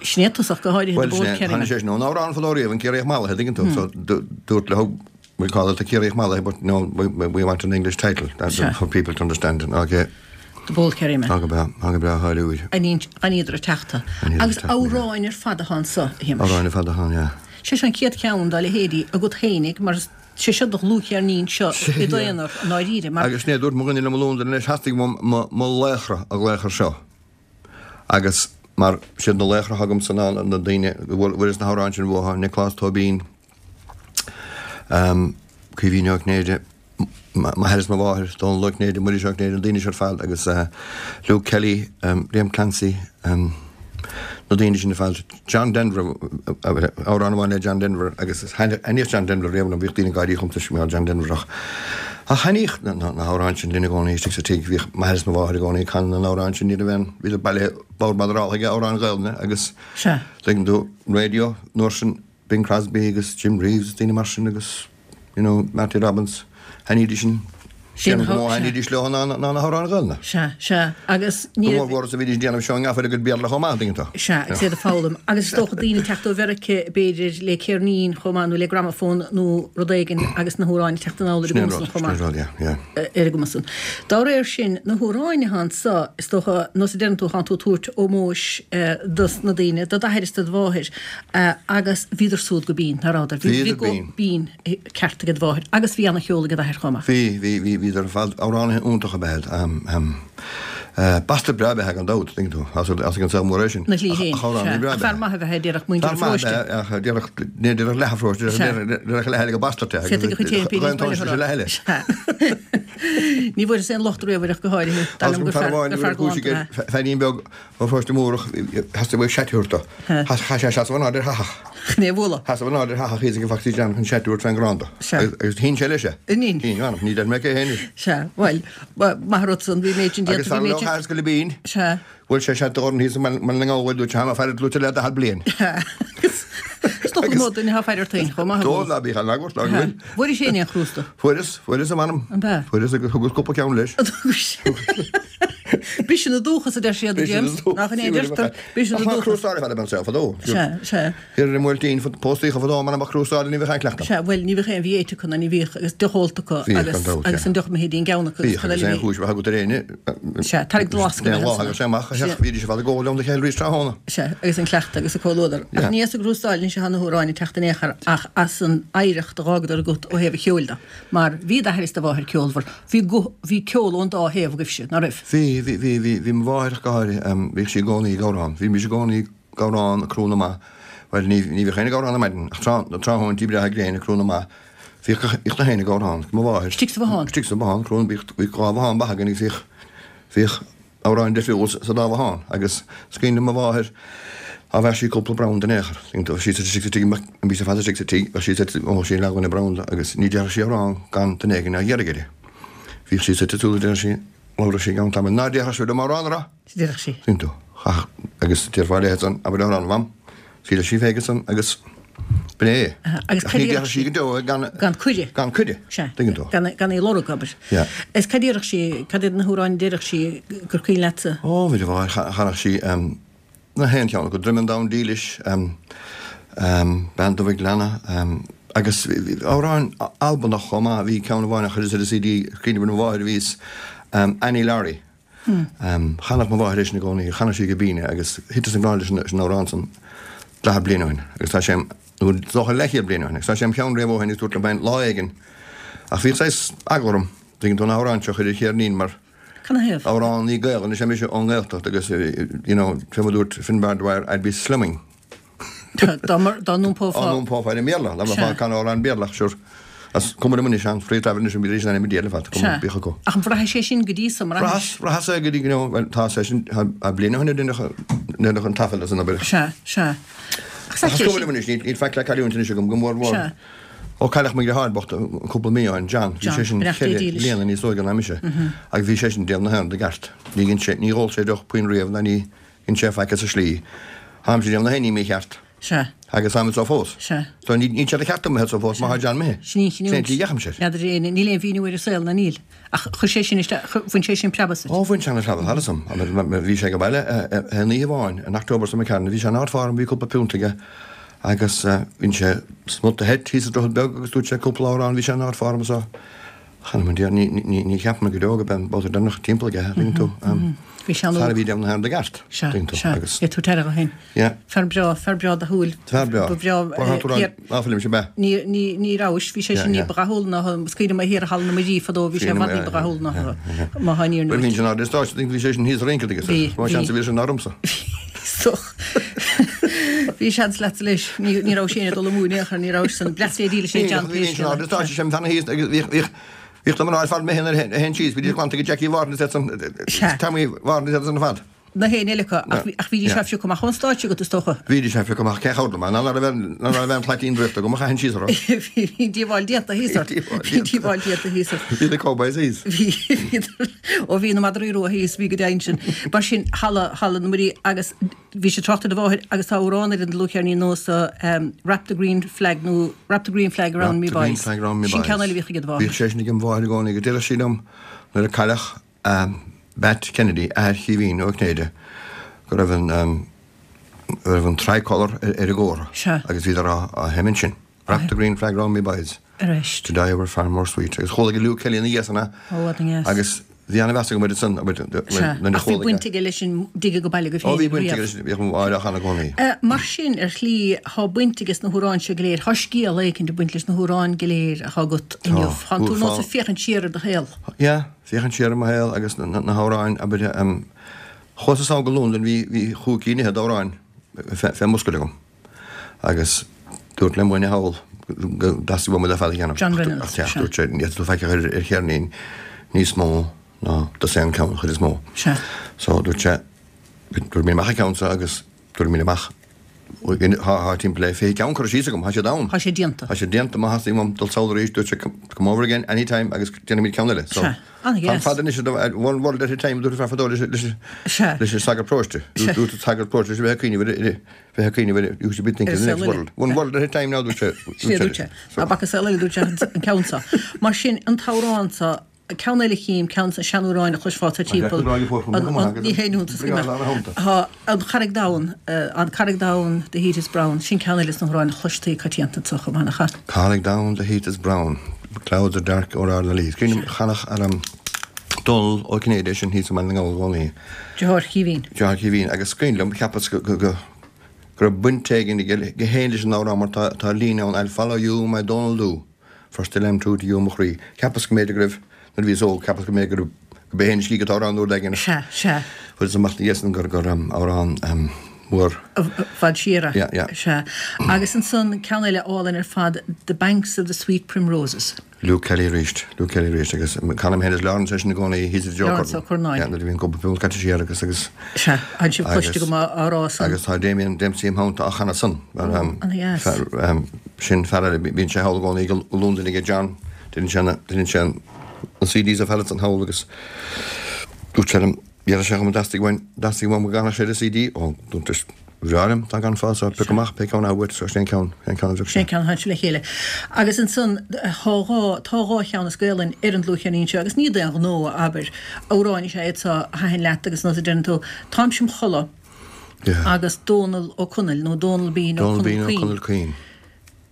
S1: sin é tosach go háirithe The
S3: Bhuel,
S1: Bold
S3: sin é,
S1: Kerryman.
S3: tháinig sé sin ón amhrán fadó riamh, an Ciarraíoch Mallaithe, tuigeann tú, so dúirt le We call it the Ciarraíoch Mallaithe, but no, we, we want an English title that,
S1: Sure.
S3: for people to understand it. Okay.
S1: The Bold Kerryman.
S3: Tá go breá, tá go breá cháiliúil.
S1: An iad ar teachta.
S3: An iad ar
S1: Agus
S3: teachta,
S1: amhráin ar fad atá anso, a Shéamais.
S3: Amhráin ar fad atá ann, yeah.
S1: Sé seo an chéad cheann dá leithéidí agat fhéinig mar sé seo do dhlúthcheirnín seo i d'aonar i ndáiríre mar.
S3: Agus ní dúirt mo dhuine liom i Londain anois, theastaigh uaim mo, mo laochra a ghlaoch air seo. Agus mar siad na laochra atá agamsa ná na daoine a bhfuil na hamhráin sin uathu, Nioclás Tóibín, Caoimhín Ó Cinnéide, m'athair is mo mháthair, Dónal Ó Cinnéide, Muiris Ó Cinnéide, na daoine seo ar fad agus Luke Kelly, Liam Clancy, na daoine sin ar fad. John Denver, amhrán amháin le John Denver agus thaitníodh John Denver riamh liom, bhíodh daoine ag gáirí chugam toisc go mbeadh John Denver ach ach thaitníodh na hamhráin sin linn i gcónaí istigh sa tigh, bhíodh m'athair is mo mháthair i gcónaí ag canadh na n-amhrán sin, ní raibh aon, bhíodar bailithe bord madaráltha ag amhráin Ghaelainne agus
S1: Sea.
S3: tuigeann tú, radio, an uair sin, Bing Crosby agus Jim Reeves is daoine mar sin agus you know, Marty Robbins, thaitnídís sin,
S1: Sin
S3: sin go mór
S1: sea.
S3: thaitnídís leo ná ná na hamhráin Ghaelainne.
S1: Sea, sea, agus
S3: Go
S1: ní
S3: mór mhór is a bhídís ag déanamh seo i ngafa le gcuid Béarla chomh maith, tuigeann tú.
S1: Sea, agus iad ag foghlaim. Agus is dócha daoine ag teacht ó Mheirice, b'fhéidir, le ceirnín chomh maith nó le gramafón nó rud éigin agus na hamhráin ag teacht anall ar a
S3: Sin é an
S1: gcumas
S3: rud,
S1: san chomh
S3: sin é an
S1: maith.
S3: rud, yeah, yeah.
S1: Ar a gcumas san. Dá réir sin, na hamhráin atá anso, is dócha, nós a deireann tú, thánn tú ag tabhairt ómóis dos na daoine, do d'athair is do do mháthair, agus bhíodar súd go binn, ná rabhadar? Bhí,
S3: Bhíodar
S1: bhí guth
S3: binn.
S1: binn ceart ag do mháthair agus bhí ana-cheol ag d'athair chomh maith.
S3: Bhí, bhí, bhí, bhíodar ar fad, amhránaithe iontacha ab ea iad. Bastard breá ab ea gan dabht, tuigeann tú, as ag an saol mór é sin.
S1: Na shlí féin,
S3: Ach amhránaí
S1: sea.
S3: breá
S1: Ach
S3: ab ea.
S1: fear maith ab ea é, déarfadh muintir
S3: Fear
S1: an
S3: maith
S1: pharóiste.
S3: ab ea, ach déarfadh, ní déarfadh leath an pharóiste,
S1: Sea.
S3: déarfadh leath eile gur bastard é.
S1: Féadfaidh a chuid féin
S3: Ghaeilge
S1: péirín
S3: tóin sé leath eile.
S1: Sea. Ní bhfuaireas aon locht riamh air ach go háirithe. Dar
S3: Agus
S1: liom
S3: gur
S1: gur
S3: fear
S1: fear,
S3: amháin
S1: gur
S3: a
S1: fear
S3: bhfuil cúis
S1: galánta
S3: aige,
S1: é.
S3: feairín beag ó pharóiste Múrach, theastaigh uaidh seat a thabhairt dó. Chaith sé seasamh in airde ar fathach.
S1: Chun é a bhualadh.
S3: Sheasamh in airde ar fathach thíos ag an bhfacsaí dearnach chun seat a thabhairt fén gcrann dó.
S1: Sea.
S3: Agus agus shín sé leis é.
S1: An shin?
S3: Shín, m'anam, ní deir mé cé hé anois.
S1: Sea, bhuel, maith an rud san, bhí méid sin déanta,
S3: Agus
S1: bhí
S3: fear
S1: méid
S3: leo
S1: sin.
S3: thar scoil binn.
S1: Sea.
S3: Bhuail sé seat d'Orn thíos i mBaile na nGall, dúirt sé, Tá mé ag faire ort luaite le daichead bliain.
S1: Agus is dócha go mó duine atá ag faire ort féin chomh maith a
S3: Dó
S1: bhualadh.
S3: ná bíodh an eagla ort, ná go bhfuil.
S1: Bhfuairis féin aon chrústa?
S3: Fuaireas, fuaireas a m'anam.
S1: An b'ea?
S3: Fuaireas agus thugas cúpla ceann leis.
S1: Briseann an dúchas a deir siad, a James. Nach in é a deirtear? Briseann
S3: Ach
S1: an
S3: ná
S1: dúchas.
S3: crústáil a bheith anseo fadó.
S1: Sea, sea.
S3: Thiar i mBuailtín, póstaíocha fadó, m'anam ach crústáil ní bheadh aon cleachtadh.
S1: Sea, bhuel, ní bheadh aon, bhí éite acu ná ní bhíodh agus deoch ólta acu
S3: Bhíodh,
S1: agus
S3: gan dabht,
S1: agus
S3: yeah.
S1: an deoch mithid an gceann acu agus
S3: Bhíodh
S1: cad
S3: agus
S1: eile
S3: aon
S1: bhí.
S3: chúis a bheith agat ar éinne.
S1: Sea, tarraig do lasc
S3: Aon
S1: a bheith
S3: lá
S1: ansan.
S3: agus sé amach, a
S1: Sea.
S3: theach, bhídís ar fad ag ól liom do chéile arís tráthnóna.
S1: Sea, agus an cleachtadh agus an comhluadar. Ach
S3: Yeah.
S1: ní as an gcrústáil anois atá na hamhráin ag teacht in aon chor ach as an oidhreacht a dh'fhágadar agat ó thaobh an cheoil de. Mar bhí d'athair is do mháthair ceolmhar, bhí guth, bhí ceol ón dá thaobh agaibhse, ná raibh?
S3: Bhí, bhí, bhí, bhí, bhí mo mháthair ach go háirithe, em, bhíodh sí i gcónaí ag amhrán. Bhímis i gcónaí ag amhrán ag crú na mba. Bhuel, ní, ní bhíodh éinne ag amhrán ar maidin, ach tráth, tráthnóintí breátha gréine ag crú na mba. Bhíodh, bhíodh na héinne ag amhrán, mo mháthair.
S1: Istigh sa bhothán?
S3: Istigh sa bhothán, crú, bhíodh, bhíodh dhá bhothán mhaith againn agus bhíodh, bhíodh amhráin difriúil sa dá bhothán. Agus is cuimhin le mo mháthair, Á bheir sí cúpla braon den aon chor. Bheadh sí istigh sa tigh, bhí sé fada istigh sa tigh, bheadh sí sa, ó, sí leath dhuine braon de agus ní déarfadh sí amhrán gan duine éigin á iarraidh uirthi. Bhíodh sí suite sula dtéadh sí, labhradh sí i gceann tamaill, Ná déarfadh sí liom amhrán a rá!
S1: Déarfadh sí.
S3: Tuigeann tú. Ach, agus déarfá léi ansan, abair amhrán, a Mham. Shíleadh sí féig ansan agus b'in é.
S1: Agus
S3: Ach
S1: cad
S3: ní
S1: déarfadh
S3: déarfadh sí go deo é gan,
S1: Gan cuireadh.
S3: Gan cuireadh.
S1: Sea.
S3: Tuigeann tú.
S1: Gan, gan é lorg, abair.
S3: Yeah.
S1: Is cad déarfadh sí, cad iad na hamhráin a déarfadh sí gur cuimhin leatsa?
S3: Ó, bhí do mháthair, chanadh sí, Na haon cheann acu, Droim an Domhain Dílis, Bean Dubh an Ghleanna, Agus amhrán Albanach chomh maith, bhí ceann amháin a chuireas ar an C D, cuimhním ar mo mháthair a bhíos, Annie Laurie. Chanadh mo mháthair é sin i gcónaí, chanadh sí go binn é agus thiteas i ngrá leis an amhrán san daichead bliain ó shin agus tá sé, nó dócha leathchéad bliain ó shin, agus tá sé im cheann riamh ó shin agus dúrt liom féin lá éigin ach bhíodh saghas eagla orm, tuigeann tú, an amhrán seo a chur ar cheirnín mar
S1: Canathaobh?
S3: amhránaí Gaelainne is ea mise ón nGaeltacht agus you know, fé mar a dúirt Finbar Dwyer, I'd be slumming.
S1: Dá n-iompófá.
S3: Dá n-iompófá ar an mBéarla, dá mbeifeá ag canadh amhrán Béarla ach sure, is cuma liom anois, an free travel anois an bhí sin i ar fad, cuma bíodh acu.
S1: Ach an bhraithis é sin go dtí so,
S3: mbraithis? Bhraitheas, bhraitheas é go dtí, you know, bhuel tá sé sin, tá bliain ó shin a deineadh an taifead as an obair.
S1: Sea, sea.
S3: Ach is cuma liom anois, níl faic le cailliúint anois agam, go mór mhór.
S1: Sea.
S3: Ó cailleadh mo dheartháir bocht cúpla mí ó shin, John, bhí sé sin ceithre bliana níos óige ná mise agus bhí sé sin ag déanamh na hÉireann i gceart. Ní dhein sé, ní dh'ól sé deoch puinn riamh ná ní dhein sé faic as an slí. Táimse ag déanamh na hÉireann mícheart.
S1: Sea.
S3: Agus táim anso fós.
S1: Sea.
S3: So ní, níl sé de cheart dom a bheith anso fós má tá John imithe.
S1: Sin í an chinniúint.
S3: Sin an tslí a dheachaimse air.
S1: N'fheadar éinne, níl aon mhíniú ar an saol, ná níl. Ach chuir sé sin isteach, bhain sé sin preabadh asat.
S3: Ó, bhain sé an-phreabadh thar asam. Bhí sé ag baile aon oíche amháin in October sa McCarran, bhí sé in ard-form, bhí cúpla piúnt aige agus bhain sé smut de heit thíos sa Droichead Beag agus dúirt sé cúpla amhrán, bhí sé in ard-form so chan eil dia, ní, ní, ní cheapaim go deo go b'é an babhta deireanach timpeall aige, tuigeann tú.
S1: Bhí sé an-óg.
S3: Fear a bhí ag déanamh na hÉireann i gceart,
S1: Sea,
S3: tuigeann tú,
S1: sea.
S3: agus.
S1: É tú teirigh ó shin.
S3: Yeah.
S1: Fear breá, fear breá dathúil.
S3: Fear breá.
S1: Ba bhreá,
S3: Ba bhreá tú
S1: thiar.
S3: ná fuilim sé bea.
S1: Ní, ní, ní rabhais, bhí sé
S3: Yeah,
S1: sin ní
S3: yeah.
S1: ba dhathúla ná, is cuimhin liom é thiar i Halla na Muirí fadó, bhí sé i bhfad ní ba dhathúla ná, má tá an fhírinne
S3: Bhuel, bhí
S1: uait.
S3: sin ard stáitse, bhí sé sin thíos rince agus
S1: Bhí,
S3: Bhí seans
S1: bhí.
S3: a bhí sin ormsa.
S1: Soch. Bhí seans leat leis, ní ní raibh sé ag dul amú in aon chor, ní raibh san bleas é díle sé John
S3: Bhí sin ard stáitse sem tan thíos agus bhí bhí bhí na mná fad mé ar hen síos, bhí glanta go Jackie Warren san
S1: Sea.
S3: Tommy Warren san fad.
S1: Na héin eile acu, ach bhí- ach bhí sé fiú amach ón stáitse agat is dócha.
S3: Bhí sé fi amach cé chódla man, ná ná bheith plaitín drifta go chain síos orm.
S1: Bhí díobháil déanta thíos ort.
S3: Díobháil
S1: Bhí díobháil déanta thíos ort.
S3: Bhí na cowboys thíos.
S1: Bhí ó bhí na madraí rua thíos bhí go deimhin sin. Mar sin halla halla na Muirí agus bhí sé trácht ar do mháthair agus tá amhrán ar an dlúthcheirnín nua so um, Wrap the Green Flag nó Wrap the Green Flag Around Me
S3: Wrap the green
S1: Boys.
S3: flag round me
S1: Sin
S3: boys.
S1: ceann eile a bhíodh ag do
S3: Bhíodh
S1: mháthair.
S3: sé sin ag an mháthair i gcónaí go deireadh sí liom nuair a cailleadh um, Bat Kennedy athair Chaoimhín Ó Cinnéide go raibh an um, go raibh an tricolour ar ar a gcóra
S1: Sea.
S3: agus bhí á á sheimint sin. Wrap the green flag round me boys.
S1: Arís.
S3: To die were far more sweet. Agus chuala go Luke Kelly ina dhiaidh san
S1: Ó, ad an gheas.
S3: agus bhí an-mheas agam san
S1: Sea. Ach bhí baint aige leis an dige go baile go
S3: Ó bhí
S1: féin
S3: baint
S1: riamh.
S3: leis bhí an áir a gcónaí.
S1: Uh, mar sin ar shlí thá baint aige na hamhráin seo go léir, Tá scéal éicint ag baint leis na hamhráin go léir atá agat inniu. Tá tú nós ag féachaint siar ar do shaol.
S3: Ja, féachaint siar ar mo shaol agus na na hamhráin aber um, chuas sall go Londain bhí bhí chúig cinn d'amhráin fé muscail agam. Agus dúirt le buine thall go dteastaigh uaim le fad a dhéanamh.
S1: John Reynolds,
S3: Ach,
S1: sea.
S3: dúirt sé ní tú faic ar ar cheirnín níos mó ná dosaen ceann chuid is mó.
S1: Sea.
S3: So dúirt sé dúirt mé amach ceann agus dúirt mé amach Tá timpeall le fiche ceann curtha síos agam, tá sé ann.
S1: Tá sé déanta.
S3: Tá sé déanta má theastaíonn uaim dul sall arís dúirt sé come over again anytime agus déanaimid ceann eile. So
S1: Sea, an-gheas.
S3: Tá fad anois one world at a time dúirt fear fadó leis
S1: Sea.
S3: leis an sagart paróiste.
S1: Sea.
S3: Dúirt an sagart paróiste leis bheith cuimhneamh bheith cuimhneamh you should be thinking the next world. One world at a time now dúirt sé.
S1: Sin é dúirt sé. Ná bac saol eile dúirt sé an ceann seo. Mar sin an t-amhrán seo ceann eile chím ceann an seanamhráin a chloisfeá timpeall. Ní hé Tá an Carraig Donn an Carraig Donn the heat is brown, sin ceann eile na hamhráin a chloistí coitianta so chomh maith nach ea.
S3: Carraig Donn the heat is brown. Clouds are dark o'er Ardnalee. Crínim chanach ar am Dónal Ó Cinnéide sin thíos man ngall gcónaí.
S1: Deartháir Chaoimhín.
S3: Deartháir Chaoimhín agus scrín liom cheapas go go go go raibh baint éigin aige féin leis an amhrán mar tá tá líne ann I'll follow you my Donald Dhu for still I'm true to you mo chroí. Cheapas go mb'fhéidir go raibh nuair a bhíos óg cheapas go mb'fhéidir go raibh go b'é féin a scrígh an t-amhrán uair éigin.
S1: Sea, sea.
S3: Fuair amach dhéan gur gur um, amhrán um, mór.
S1: Fad siar.
S3: Yeah, yeah.
S1: Sea. Agus ansan ceann eile álainn ar fad The Banks of the Sweet Primroses.
S3: Luke Kelly arís, Luke Kelly arís agus canaim féin is Lawrence sin i gcónaí hí Joe
S1: Lawrence Ó Curnáin.
S3: Yeah, nuair a bhíonn cúpla piúnt caite siar agus agus
S1: Sea, an sibh cloiste go maith á rá san.
S3: agus tá Damien Dempsey im theannta á chanadh san. Mar, um,
S1: An-dheas.
S3: fear, um, sin fear eile, bíonn sé thall i gcónaí go Londain ag John, déanann sé na- déanann sé an C Ds a feileann an thall agus dúirt sé liom, dhear sé go dteastaigh uaim dteastaigh uaim go gcanfadh sé an C D ó dúirt bhreá tá gan fá pioc amach pé ceann uait so sin ceann ceann ceann
S1: Sin ceann le chéile. Agus ansan tá dhá tá dhá cheann as Gaelainn ar an dlúthcheirnín seo agus ní d'aon ghnó abair amhráin is ea iad seo a thaitin leat agus nó a deireann tú Táimse im chodladh
S3: Yeah.
S1: agus Dónal Ó Conaill nó Dónal Bean ó
S3: Dónal Bean ó
S1: Conaill
S3: Conaill
S1: Caoin.
S3: Caoin.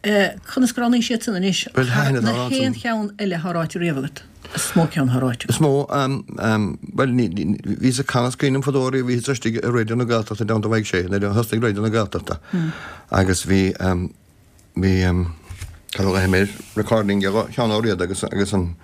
S1: Conas gur roghnaigh siad san anois?
S3: Bhuel, thaitin an
S1: Na
S3: t-amhrán
S1: haon
S3: san.
S1: cheann eile atá ráite riamh agat? Is mó ceann atá ráite agat.
S3: Is mó, bhuel, bhíos ag canadh is cuimhin liom fadó riamh, bhíos istigh i Raidió na Gaeltachta i dteannta Mhaidhc Sé, nuair a thosnaigh Raidió na Gaeltachta agus bhí, bhí, cad a ghlaofaidh mé air, recording ag Seán Ó Riada agus, agus an,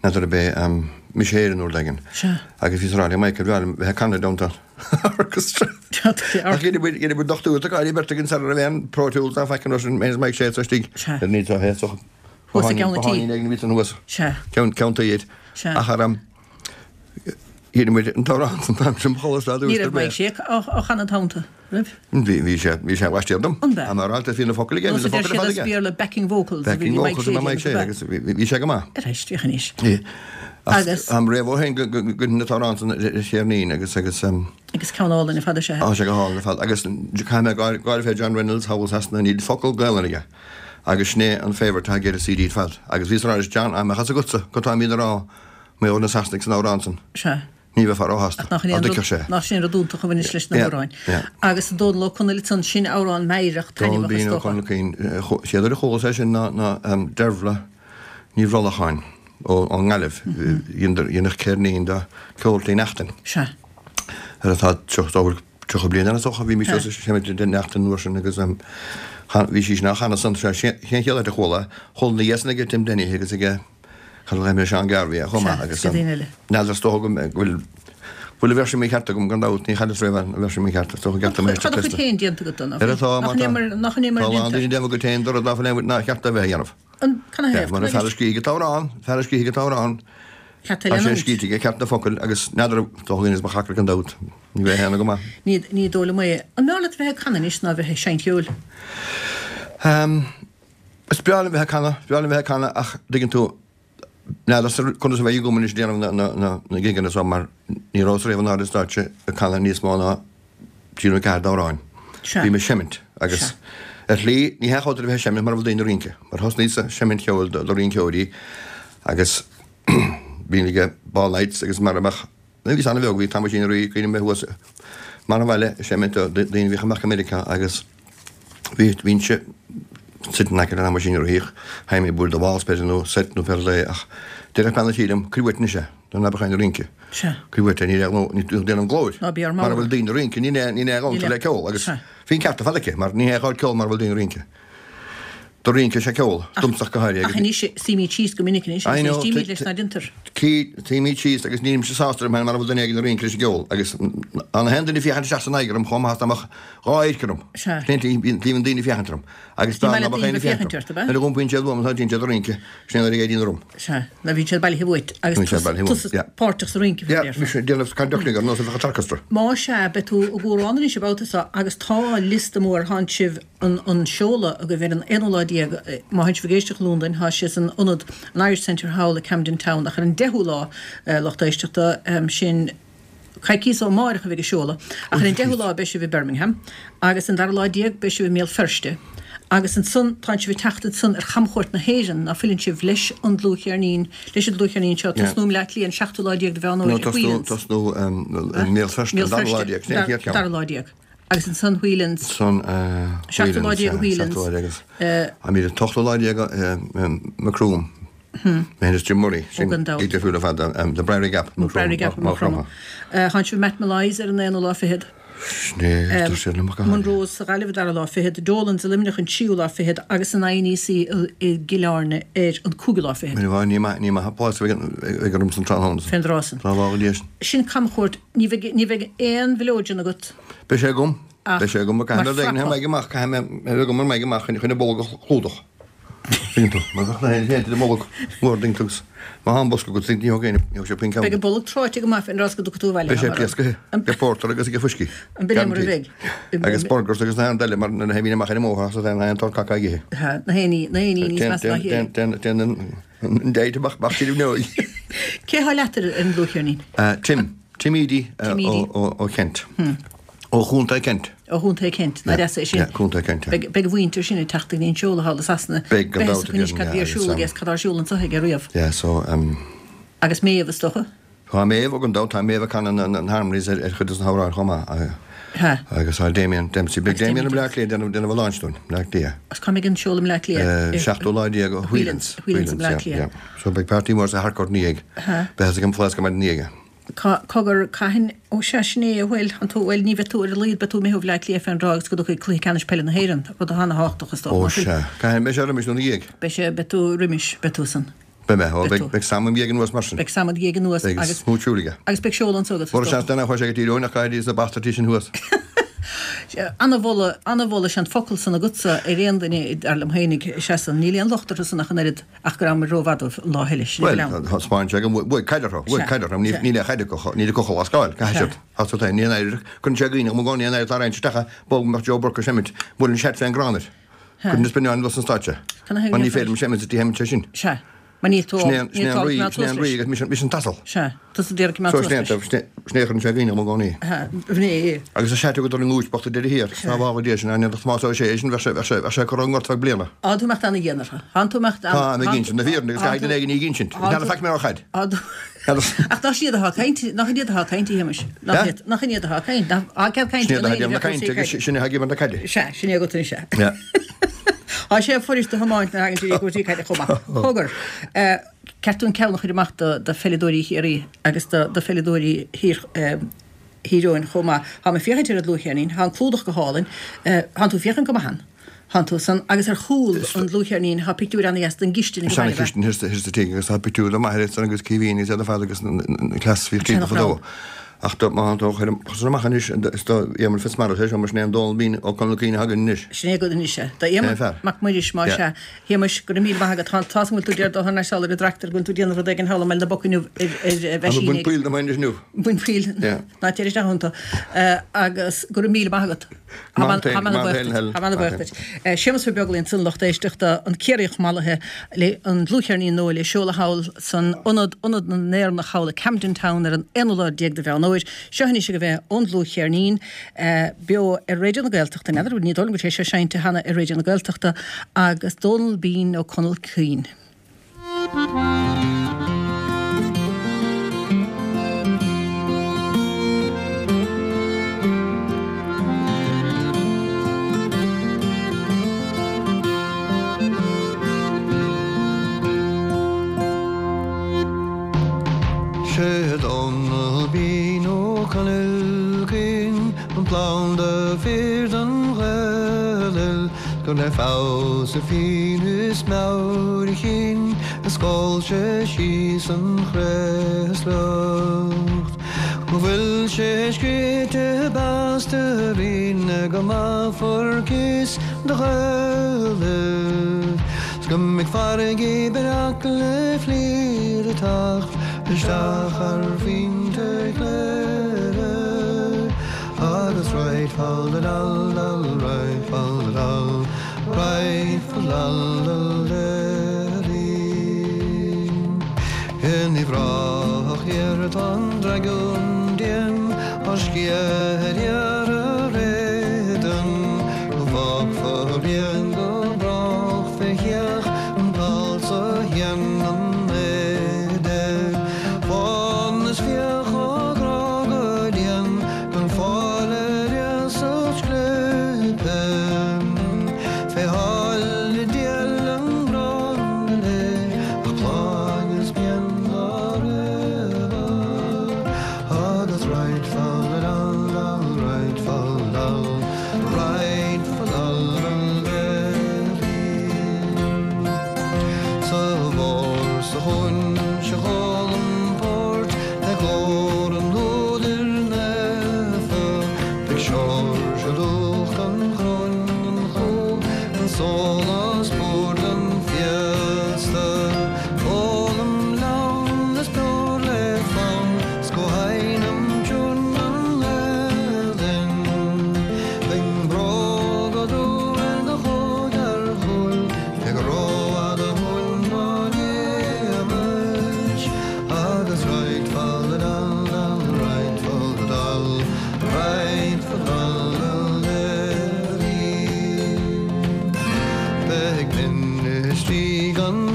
S3: n'fheadar ab é Mise Éire nó rud éigin.
S1: Sea.
S3: Agus bhíos ag rá le Mike ar bhreá liom bheith ag canadh i dteannta an orchestra. Ach dheineadh muid, dheineadh muid dochtúir de cáil beirt againn sara raibh aon Pro Tools ná faic an raibh sin, mé is Mike Sé istigh.
S1: Sea.
S3: Ar ní tá so.
S1: Thuas i gceann an tí.
S3: Bothán éigin a bhí san thuas.
S1: Sea.
S3: Ceann, ceann tí iad.
S1: Sea.
S3: Ach ar am, dheineadh muid an t-amhrán san t-am sin, ba sholas le
S1: Ní
S3: dúis
S1: raibh
S3: ar
S1: Mike
S3: bith.
S1: Sé á chanadh an t-am san, raibh?
S3: Bhí, bhí sé, bhí sé laistiar dom.
S1: An b'ea?
S3: Am ar alt, bhí na focail aige, bhí
S1: Nós
S3: na
S1: a deir
S3: focail ar
S1: siad
S3: fad
S1: as
S3: aige.
S1: Béarla backing vocals a bhí
S3: Backing
S1: Mike
S3: vocals
S1: Sé
S3: a Mike Sé
S1: déanamh,
S3: agus bhí, bhí sé go maith.
S1: Ar éist, féach anois.
S3: Bhí. Ach
S1: Agus?
S3: am réamh ó shin go, go, go, go na t-amhrán san ar cheirnín agus, agus, um,
S1: Agus ceann álainn ar fad is ea.
S3: Tá sé go hálainn ar fad. Agus caithfidh mé gáire, gáire fé John Reynolds thall i Sasana, níl focal Gaelainn aige. Agus sin é an favourite atá aige ar an CD ar fad. Agus bhíos ag rá leis John, dá mbeadh a fhios agatsa cad táimid a rá mar gheall ar na Sasanaigh san amhrán san.
S1: Sea.
S3: Ní bheifeá róshásta.
S1: Ach nach in
S3: Á
S1: aon rud,
S3: dtuigfeadh sé.
S1: nach sin rud iontach a bhaineas leis na
S3: Yeah,
S1: hamhráin.
S3: yeah.
S1: Agus Dónal Ó Conaill ansan, sin amhrán meidhreach
S3: Dónal
S1: taitneamhach is
S3: Bean Ó
S1: dócha.
S3: Conaill Caoin, chéad uair a chualas é sin ná, ná Dervla Ní Bhrollacháin ó, ón nGaillimh. Dhéanadh ceirnín de Ceol Tí Neachtain.
S1: Sea.
S3: Ar atá tríocha tríocha bliain ann is dócha, bhí mise sa seimid de Neachtain an uair sin agus bhí sí sin á chanadh san, sé sin an chéad áit a chuala, chuala ina dhiaidh san ag Tim Denny agus ag cad a ghlaofaidh mé Seán Garvey chomh maith agus n'fheadar is dócha go bhfuil bhfuil an véarsa mícheart agam gan dabht, ní chailleas riamh an véarsa mícheart, is dócha gceart dom éisteacht
S1: Tá do chuid
S3: leis.
S1: féin déanta agat dó,
S3: Ar atá, má tá.
S1: Nach in é mar
S3: Tá
S1: a
S3: a lán
S1: déantar?
S3: daoine ag déanamh a gcuid féin de rud ná fuil aon ná cheart a bheith a dhéanamh.
S1: An, can I have?
S3: Mar an fear a scrígh an t-amhrán, fear a scrígh an t-amhrán,
S1: Ceart
S3: tá sé scríte aige ceart na focail agus n'fheadar dá dhuine is mo chacra gan dabht, ní bheidh a shéanadh go maith.
S1: Ní, ní dóigh liom é. An mb'fhearr leat bheith ag canadh anois ná bheith ag seinnt ceoil?
S3: Um, is breá liom bheith ag canadh, is breá liom bheith ag canadh ach dtuigeann tú, n'fheadar conas a bheidh agam anois déanamh na, na, na, na gigeanna so mar ní rabhas riamh in airde stáitse ag canadh níos mó ná trí nó ceathair d'amhráin.
S1: Sea.
S3: Bhí mé ag seimint agus
S1: Sea.
S3: ar shlí ní hea chóir a bheith ag seimint mura bhfuil daoine ag rince, mar thosnaíos ag seimint cheoil do, do rinceoirí agus bhí ag ball nights agus mar a mbeadh, nuair a bhíos an-bheag bhí Thomasín Uí Rí, cuimhním mé thuas mar an bhaile ag seimint do daoine a bhíodh amach i Meiriceá agus bhí, bhínnse sitting in aice le Thomasín Uí Rí, théim ag bualadh do waltz b'fhéidir nó set nó pé rud é ach déarfadh bean an tí liom, cuir uait anois é, nó ná beadh éinne ag rince.
S1: Sea.
S3: Cuir uait é, ní raibh nó, ní déanamh glóir.
S1: Ná bí ar
S3: Mara
S1: mall.
S3: bhfuil daoine ag rince, ní ní ní ní
S1: Ní
S3: le ceol agus
S1: Sea.
S3: bhí an ceart ar fad aici, mar ní hé ceol mara bhfuil daoine ag rince. Do rince sé ceol, domsa go háirithe
S1: Ach anois suímid síos go minic anois
S3: I
S1: agus
S3: know,
S1: éistímid
S3: t-
S1: leis ná déantar.
S3: Suímid síos agus nílimse sásta liom féin mara bhfuil duine éigin ag rince leis an gceol agus an haon duine féachaint isteach san oighear orm chomh maith is dá mbeadh dhá adharc orm.
S1: Sea.
S3: Bíonn daoine ag féachaint orm agus dá
S1: Ní maith
S3: mbeadh
S1: le daoine
S3: aon
S1: féachaint
S3: féachaint
S1: ort, ab ea?
S3: Nuair a iompaíonn siad uaim tá siad ag rince, sin nuair a éiríonn orm.
S1: Sea, ná bhíonn siad bailithe uait agus
S3: Bíonn siad bailithe uaim,
S1: tusa
S3: yeah.
S1: páirteach sa rince
S3: Yeah, bhí sé déanamh conducting ar nós a bheadh an t-orchestra.
S1: Má sea beidh tú i gCuarán anois an babhta seo agus tá liosta mór tánn sibh an, an seoladh agaibh ar an aonú lá déag má tánn sibh ag éisteacht i Londain tá sé san ionad an Irish Centre thall i Camden Town ach ar an deichiú lá eh, lucht éisteachta um, sin coicís ó amárach a bheidh an seoladh ach ar an deichiú lá beidh sibh i Birmingham agus an dara lá déag beidh sibh i mBéal Feirste. Agus ansan tá sibh ag teacht ansan ar chamchuairt na hÉireann ná fuileann sibh leis an dlúthcheirnín leis an dlúthcheirnín seo tosnú i mBleá Cliath an seachtú lá déag de Mheán
S3: No
S1: Fómhair i
S3: tosnú
S1: Whelan's.
S3: tosnú Mbéal Feirste
S1: Mbéal
S3: an dara lá
S1: Feirste,
S3: déag, sin an chéad cheann.
S1: dara lá déag. Agus ansan Whelan's
S3: San
S1: Seachtú lá déag Whelan's.
S3: Seachtú lá déag agus
S1: Eh,
S3: a míle ochtú lá déag Macroom. Mé is Jim Murray sin
S1: gan dabht.
S3: gig difriúil ar fad um, The Briery Gap
S1: Briery Gap
S3: Maigh Chromtha.
S1: Tánn sibh Matt Molloy's ar an aonú lá fichead. Monroe's sa Ghaillimh dara lá fichead, Dolan's i Luimneach an tríú lá fichead agus an INEC i gCill Airne ar an cúigiú lá fichead.
S3: Ní ní ní maith plás ag orm san tráthnóna.
S1: Fén dtráth san.
S3: Tá lá go leis.
S1: Sin camchuairt ní bheidh ní bheidh aon mhileoidean agat.
S3: Beidh sé agam
S1: Ach,
S3: Beidh sé agam
S1: mar
S3: caithfidh mé
S1: frapa.
S3: amach caithfidh mé agam mar amach chun chun bolg a chlúdach. Mar bheadh na héin de bolg mór ding tugs. Má han bosca go ní thóg ní sé pin
S1: Beidh an bolg tráite go maith an rás go dtiocfaidh tú abhaile.
S3: Beidh sé pléasctha ag porter agus ag fuiscí.
S1: An b'in é mar a bheidh.
S3: Agus burgers agus na eile mar na héimín amach ar an mbóthar sa na an tor caca aige.
S1: Ha, na héiní na héiní níos measa ná chéile.
S3: Den den déite bach bach sí nó.
S1: Cé há leat ar an dlúthcheirnín?
S3: Tim Tim Edey
S1: Tim Edey.
S3: ó Kent. Ó Chontae Kent.
S1: Ó Chontae Kent, ná deas é sin.
S3: Yeah, Contae Kent. yeah.
S1: Beidh beidh mhuintir sin ag teacht go dtí an seoladh thall i Sasana.
S3: Beidh gan dabht
S1: Beidh
S3: againn,
S1: cad
S3: yeah,
S1: bhí ar siúl
S3: agus,
S1: agus cad ar siúl anseo aige riamh.
S3: Yeah, so um,
S1: Agus Méabh is dócha.
S3: Tá Méabh gan dabht, tá Méabh ag canadh na harmonies ar chuid de na hamhráin chomh maith. Agus tá Damien Dempsey. Beidh Damien i mBleá Cliath ag déanamh a launch dúinn, Bleá Cliath.
S1: Agus cá mbeidh an seoladh i mBleá Cliath?
S3: Seachtú lá déag, Whelan's.
S1: Whelan's i mBleá Cliath.
S3: So beidh party mór sa Harcourt ina dhiaidh. Beidh ag an Fleadh go maidin ina dhiaidh.
S1: Cogar, cathain, ó sea, sin é, bhuel, an tú, bhuel, ní bheidh tú ar a laghad, beidh tú imithe ó Bhleá Cliath fén dtráth agus go dtiocfaidh Cluiche Ceannais Peile na hÉireann, rud ana-thábhachtach is dócha,
S3: Ó sea, cathain, beidh sé roimis nó ina dhiaidh?
S1: Beidh sé, beidh tú roimis, beidh tú san.
S3: Beidh mé, ó, beidh, beidh Sam im dhiaidh anuas mar sin.
S1: Beidh Sam id dhiaidh anuas
S3: agus. Beidh smúit siúil aige.
S1: Agus beidh seoladh anso agat, is
S3: dócha. Mura seans duine a chuaigh sé go Tír Eoghain ach caithfidh na bastartaí sin thuas.
S1: Ana-mholadh, ana-mholadh, sé an focal san agatsa ar aon duine, dar liom fhéinig, sea san, níl aon locht orthu san ach an oiread ach go rabhamar rómhaith dóibh an lá eile, sin é
S3: Bhuel, thaispeáin sé go bhfuair caid orthu, bhuaigh caid orthu, níl aon chaid acu, níl acu chomh lascáil, caithfidh siad, tá siad féin, ní aon éiric, cuireann sé dhaoine, amuigh ní aon éiric dá roinnt isteach, bog mbeadh Joe Burke ag seimint, buaileann seat fén gcrann air, cuireann is binn an stáitse, mar ní féidir liom seimint sa tí sheimint sé sin.
S1: Sea. Mar níl tú
S3: Sin é an rí, sin é an rí agus mise mise an t-asal.
S1: Sea, tusa a d'iarraidh coimeád
S3: suas leis. So sin é a chuireann sé dhaoine agam i gcónaí.
S1: Bhné é.
S3: Agus a seat agat ar an ngúis bocht a deireadh thiar, sna bhfábha Dé sin, aithne do Thomás Ó Sé sin, bheadh sé, bheadh sé, bheadh sé curtha i ngort feadh bliana.
S1: Tá tú imeacht ana-dhian orthu. Tá tú imeacht
S3: ana. Tá, ag insint na fírinne agus caithfidh duine éigin í a insint. N'fheadar faic mé ó chaid.
S1: Ach nach iad atá ag caint, nach iad atá ag caint, a Shéamais? Nach iad, nach iad atá ag caint, nach, á, cead cainte
S3: Sin iad atá ag déanamh na cainte agus sin é atá ag imirt na caide.
S1: Sea, sin é agat anois é. Tá sé fuirist a thiomáint nuair a thagann sé i gcúrsaí caide chomh maith. Cogar, ceart dúinn ceann a chur amach do pheileadóirí Chiarraí agus do pheileadóirí Thír Eoghain chomh maith. Táim ag féachaint ar an dlúthcheirnín, tá an clúdach go hálainn, tánn tú féachaint go maith ann. Tánn tú san, agus ar chúl an dlúthcheirnín tá pictiúir ana-dheas den gcistin i
S3: Is
S1: nGaillimh.
S3: Seana-chistin thiar sa tigh agus tá pictiúir de m'athair ansan agus Caoimhín agus iad ar fad agus na cleas a bhíodh timpeall fadó. Ach do, má tá tú ag cur san amach anois, is do Éamonn Fitzmaurice é seo, mar sin é an Dónal Bean Ó Conaill Cuinn a thagann anois.
S1: Sin é agat anois é. Do Éamonn Mac Muiris, más ea. Shéamais, go raibh míle maith agat. Tá tá's agam go bhfuil tú ag dul thar n-ais thall ar an dtractor, go bhfuil tú ag déanamh rud éigin thall i mBaile na bPoc inniu ar ar
S3: Tá mé ag
S1: mheaisín
S3: baint poill dom féin anois inniu.
S1: Baint poill. Ná téir isteach iontu. Agus go raibh míle maith agat.
S3: Tá mé ana-bhuíoch duit.
S1: Tá mé ana-bhuíoch duit. Séamus Ó Beaglaoich ansan lucht éisteachta, an Ciarraíoch mallaithe le an dlúthcheirnín nua le seoladh thall san ionad, Ionad na nÉireannach thall i Camden Town ar an aonú lá déag de Mheán Fhómhair. Seo anois agaibh é ón dlúthcheirnín, beo ar Raidió na Gaeltachta, n'fheadar, ní dóigh liom go bhfuil sé seo seinnte cheana ar Raidió na Gaeltachta, agus Dónal Bean Ó Conaill Cuinn.
S3: Sé Dónal Bean Ó Conaill Cuinn an planda fir don Ghaelainn gur le feabhas a phinn is meabhair a chinn a scoilt sé síos an chraoslach. Go bhfuil sé scríte beasta binn go maith fuarcas do Ghaelaibh 's go mbeidh farraigí breac le fliuch ag teacht isteach ar phointe Chléire agus right fal da dal dal right fal da dal right fal dal dal deirín. In Uíbh Ráthach thiar tá an dragún dian á sciath ar iarraidh éadan go bhfágfá a rian go brách fé theach an t-alt so a dhéanann éide fán is fiach á gcrá go dian gan fáil ar iasacht scléipe fé sháile diail an ghránna léi ach pláigh is pian dá raibh agus right fal dal dal right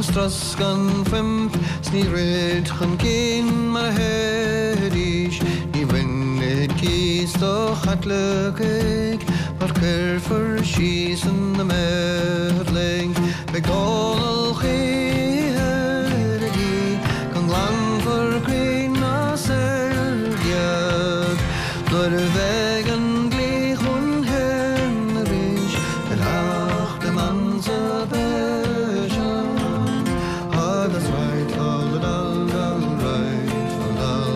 S4: strus gan fuimp 's ní throid chun cinn mar a théidís ní bhainfid cíos do Chaitlicigh mar cuirfear síos ina meidhling beidh Dónal choíche ar a dhlí go nglanfar crainn ná seilg iad nuair a bheidh an dlí chun cinn arís beidh Acht Emancipation agus right fal dal dal right fal dal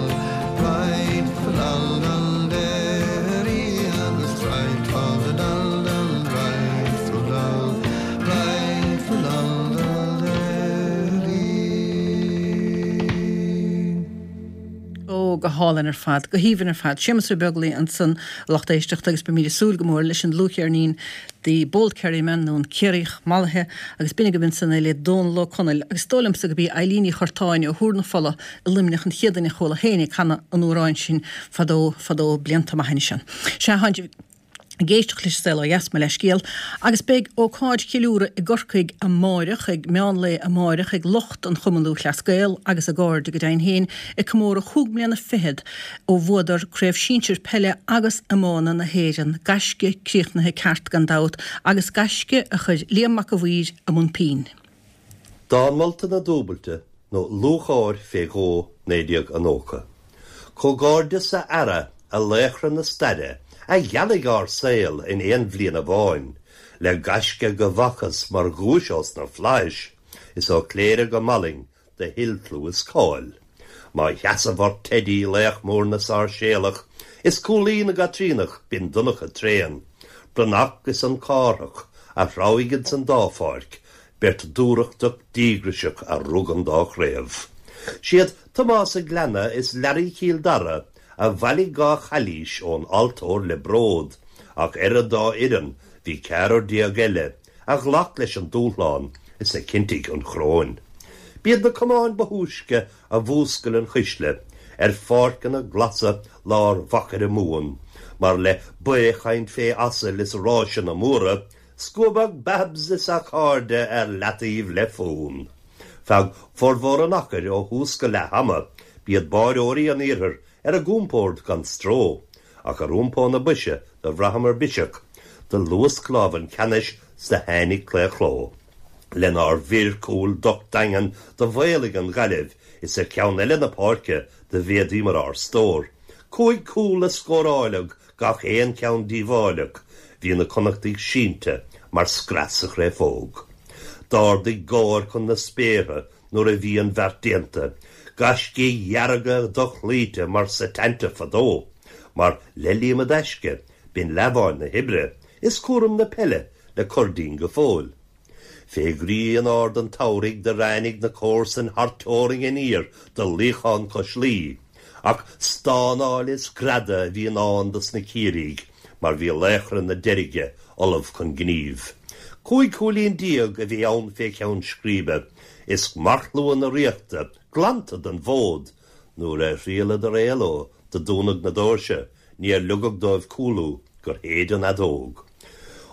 S4: right fal dal dal derry agus right fal dal dal right fal dal right fal dal dal derry.
S1: Ó go hálainn ar fad, go haoibhinn ar fad. Séamus Ó Beaglaoich ansan lucht éisteachta agus beimid ag súil go mór leis an dlúthcheirnín The Bold Kerryman nó an Ciarraíoch Mallaithe agus b'in agaibh ansan é le Dónal Ó Conaill agus is dóigh liomsa gurb í Eileen Ní Churtáin ó Thuar na Fola i Luimneach an chéad duine a chuala féin ag canadh an amhráin sin fadó fadó blianta maith anois ann. Sea tánn ag éisteacht leis An Saol Ó Dheas mo leithscéal, agus beidh ócáid cheiliúradh i gCorcaigh amáireach ag meánlae amáireach ag lucht an Chumann Lúthchleas Gael agus a gcairde go deimhin féin ag comóradh chúig mbliana fichead ó bhuadar Craobh Sinsir Peile agus Iomána na hÉireann, gaisce críochnaithe ceart gan dabht agus gaisce a chuir Liam Mac a' Mhaoir i mbun pinn.
S5: Dán molta na dúbailte nó lúcháir fé dhó naoi déag a nócha. Comhghairdeas a fheara, a laochra na staire, a ghealaigh ár saol in aon bhliain amháin, le gaisce go bhfacthas mar dhuais ós na flaithis, is ó Chléire go Mallaing do thuill clú is cáil. Má sheasamh ort Teidí laoch mór na Sáirséalach, is cúlaí na gCaitríonach binn Donncha tréan, Breathnach is an Cárthach a threabhaigh ins an dá pháirc, beirt dúthrachtach díograiseach a rug an dá chraobh. Siad Tomás a' Gleanna is Learaí Chill Dara a bhailigh dhá chailís ón altóir le bród, ach ar an dá fhoireann bhí ceathrar déag eile a ghlac leis an dúshlán is a chinntigh an choróin. B'iad na camáin ba thúisce a mhúscail an chuisle ar pháirceanna glasa lár Mhachaire Mumhan, mar le baothchaint fé asail is ráiseanna móra, scuabadh Babs is a chairde ar leataobh le fonn. Feadh formhór an achair ó thús go leath ama, b'iad báireoirí an iarthair ar a gcompord gan stró, ach ar iompó na boise do bhraitheamar biseach, do luasc lámh an cheannais 's do tháinig claochló. Lenár bhfir cúil docht daingean do mhaolaigh an Ghaillimh is ar cheann eile na páirce do mhéadaíomar ár stór. Cúig cúl a scóráileadh, gach aon cheann díobháileach, bhí na Connachtaigh sínte mar screas sa chréafóg. D'ardaigh gáir chun na spéartha nuair a bhí an bheart déanta, gaiscígh dhearga dochloíte mar Setanta fadó, mar le Liam i dtaisce, b'in leamháin na hoibre, is cúram na peile le cur dínn go fóill. Fé ghrian ard an tsamhraidh do ráinig na comharsain thar teorainn aniar do luíochán cois Laoi, ach stánáil is greadadh a bhí i ndán dos na Ciarraígh mar bhí laochra na Deirge ullamh chun gnímh. Cúig chúilín déag a bhí ann fé cheann scríbe, is marcshlua na Ríochta glanta den bhfód, nuair a thriaileadar éaló do dúnadh na doirse, níor ligeadh dóibh cúlú gur shéid an fheadóg.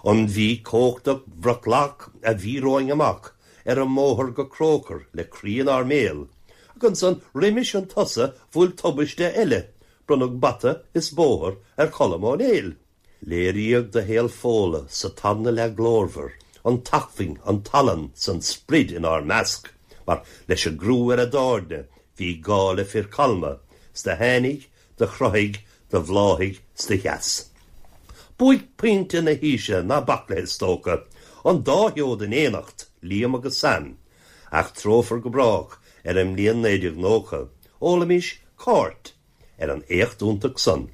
S5: An Mhí cumhachtach bhreaclach a bhí romhainn amach ar an mbóthar go Croker le croí inár mbéal, ach ansan roimis an tsosa bhuail tubaiste eile, bronnadh bata is bóthar ar Cholm Ó Néill. Léiríodh do Shaol Fódhla sa tarna leath glórmhar, an t-acmhainn, an tallann 's an sprid inár measc, mar leis an gcrú ar a dtairne bhí gá le fir calma, 's do tháinig, do chruthaigh, do bhláthaigh 's do sheas. Buaicphointe na haoise, ná bac léi is dócha, an dá sheod in éineacht, Liam agus Sam. Eachtrófar go brách ar an mbliain naoi déag nócha, ólaimís cairt ar an éacht iontach san.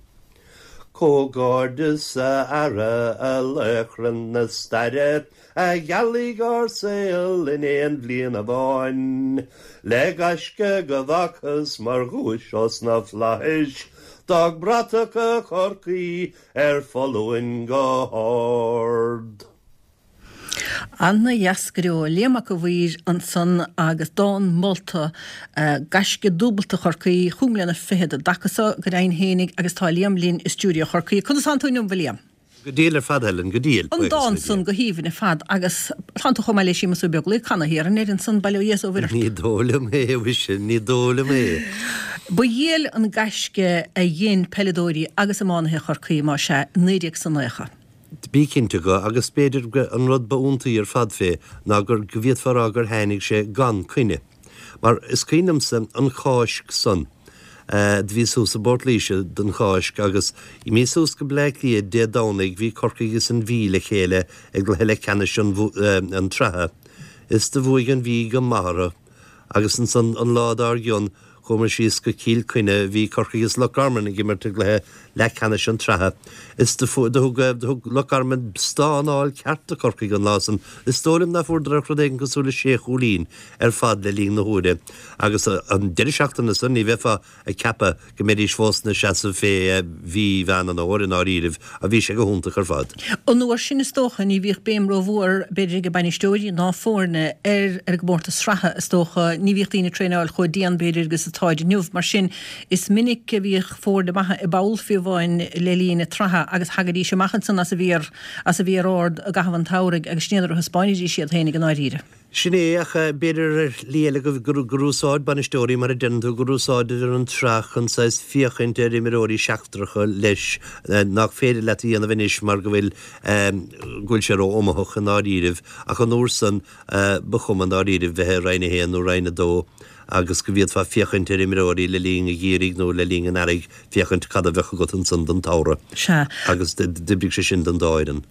S5: Comhghairdeas a fheara, a laochra na staire, a ghealaigh ár saol in aon bhliain amháin, le gaisce go bhfacthas mar dhuais ós na flaithis, d'fhág bratacha Chorcaí ar foluain go hard.
S1: Ana dheas go deo. Liam Mac a' Mhaoir ansan agus dán molta gaisce dúbalta Chorcaí, chúig mbliana fichead i dtaca so go deimhin fhéinig agus tá Liam linn i stiúideo Chorcaí. Conas tánn tú inniu, a Liam?
S5: Go diail ar fad, Helen, go diail.
S1: An dán san go haoibhinn ar fad agus tánn tú chomh maith le Séamus Ó Beaglaoich, canadh thiar in Éirinn san, bail ó Dhia is ó Mhuire ort.
S5: Ní dóigh liom é, a mhuise, ní dóigh liom é.
S1: Ba dhiail an gaisce a dhein peileadóirí agus iománaithe Chorcaí, más ea, i naoi déag 's a naocha.
S5: Bí cinnte go, agus b'fhéidir go an rud ba iontaí ar fad fé ná gur, go bhféadfá a rá gur tháinig sé gan coinne. Mar is cuimhin liomsa an Cháisc san. Do bhíos thuas i bPort Laoise don Cháisc agus imithe suas go Bleá Cliath Dé Domhnaigh bhí Corcaigh is an Mhí le chéile i gcluiche leathcheannais an tsraithe is do bhuaigh an Mhí go maith orthu agus ansan an lá dár gcionn chuamar síos go Cill Chainnigh bhí Corcaigh is Loch Garman ag imirt i gcluiche leathcheannais an tsraithe is do thug do thug Loch Garman stánáil ceart do Chorcaigh an lá san. Is dóigh liom ná fuaireadar ach rud éigin cosúil le sé chúilín ar fad le linn na huaire agus an deireadh seachtaine san ní bheifeá ag ceapadh go mbeidís fós ina seasamh fé mhí Mheán an Fhómhair i ndáiríribh ach bhí sé go hiontach ar fad.
S1: An uair sin is dócha ní bhíodh béim rómhór b'fhéidir ag bainisteoirí ná foirne ar ar an gcomórtas sraithe is dócha. Ní bhíodh daoine ag traenáil chomh dian b'fhéidir agus atáid inniu. Mar sin is minic a bhíodh foirne maithe i bpoll fiú amháin le linn na sraithe agus thagaidís amach ansan as a bhfíor as a bhfíor ard i gcaitheamh an tsamhraidh agus sin iad a thaispeáinidís iad féinig i ndáiríre.
S5: Sin é, ach b'fhéidir ar shlí eile gur gur úsáid bainisteoirí, mar a deireann tú, gur úsáideadar an tsraith chun saghas féachaint ar imreoirí seachtracha leis nach féidir leat a dhéanamh anois mar go bhfuil go bhfuil sé ró-iomaitheach i ndáiríribh ach an uair san ba chuma i ndáiríribh bheith i Roinn a haon nó Roinn a dó agus go bhféadfá féachaint ar imreoirí le linn an gheimhridh nó le linn an earraigh féachaint cad a bheadh agat ansan don tsamhradh.
S1: Sea.
S5: Agus d'oibrigh sé sin don dá fhoireann.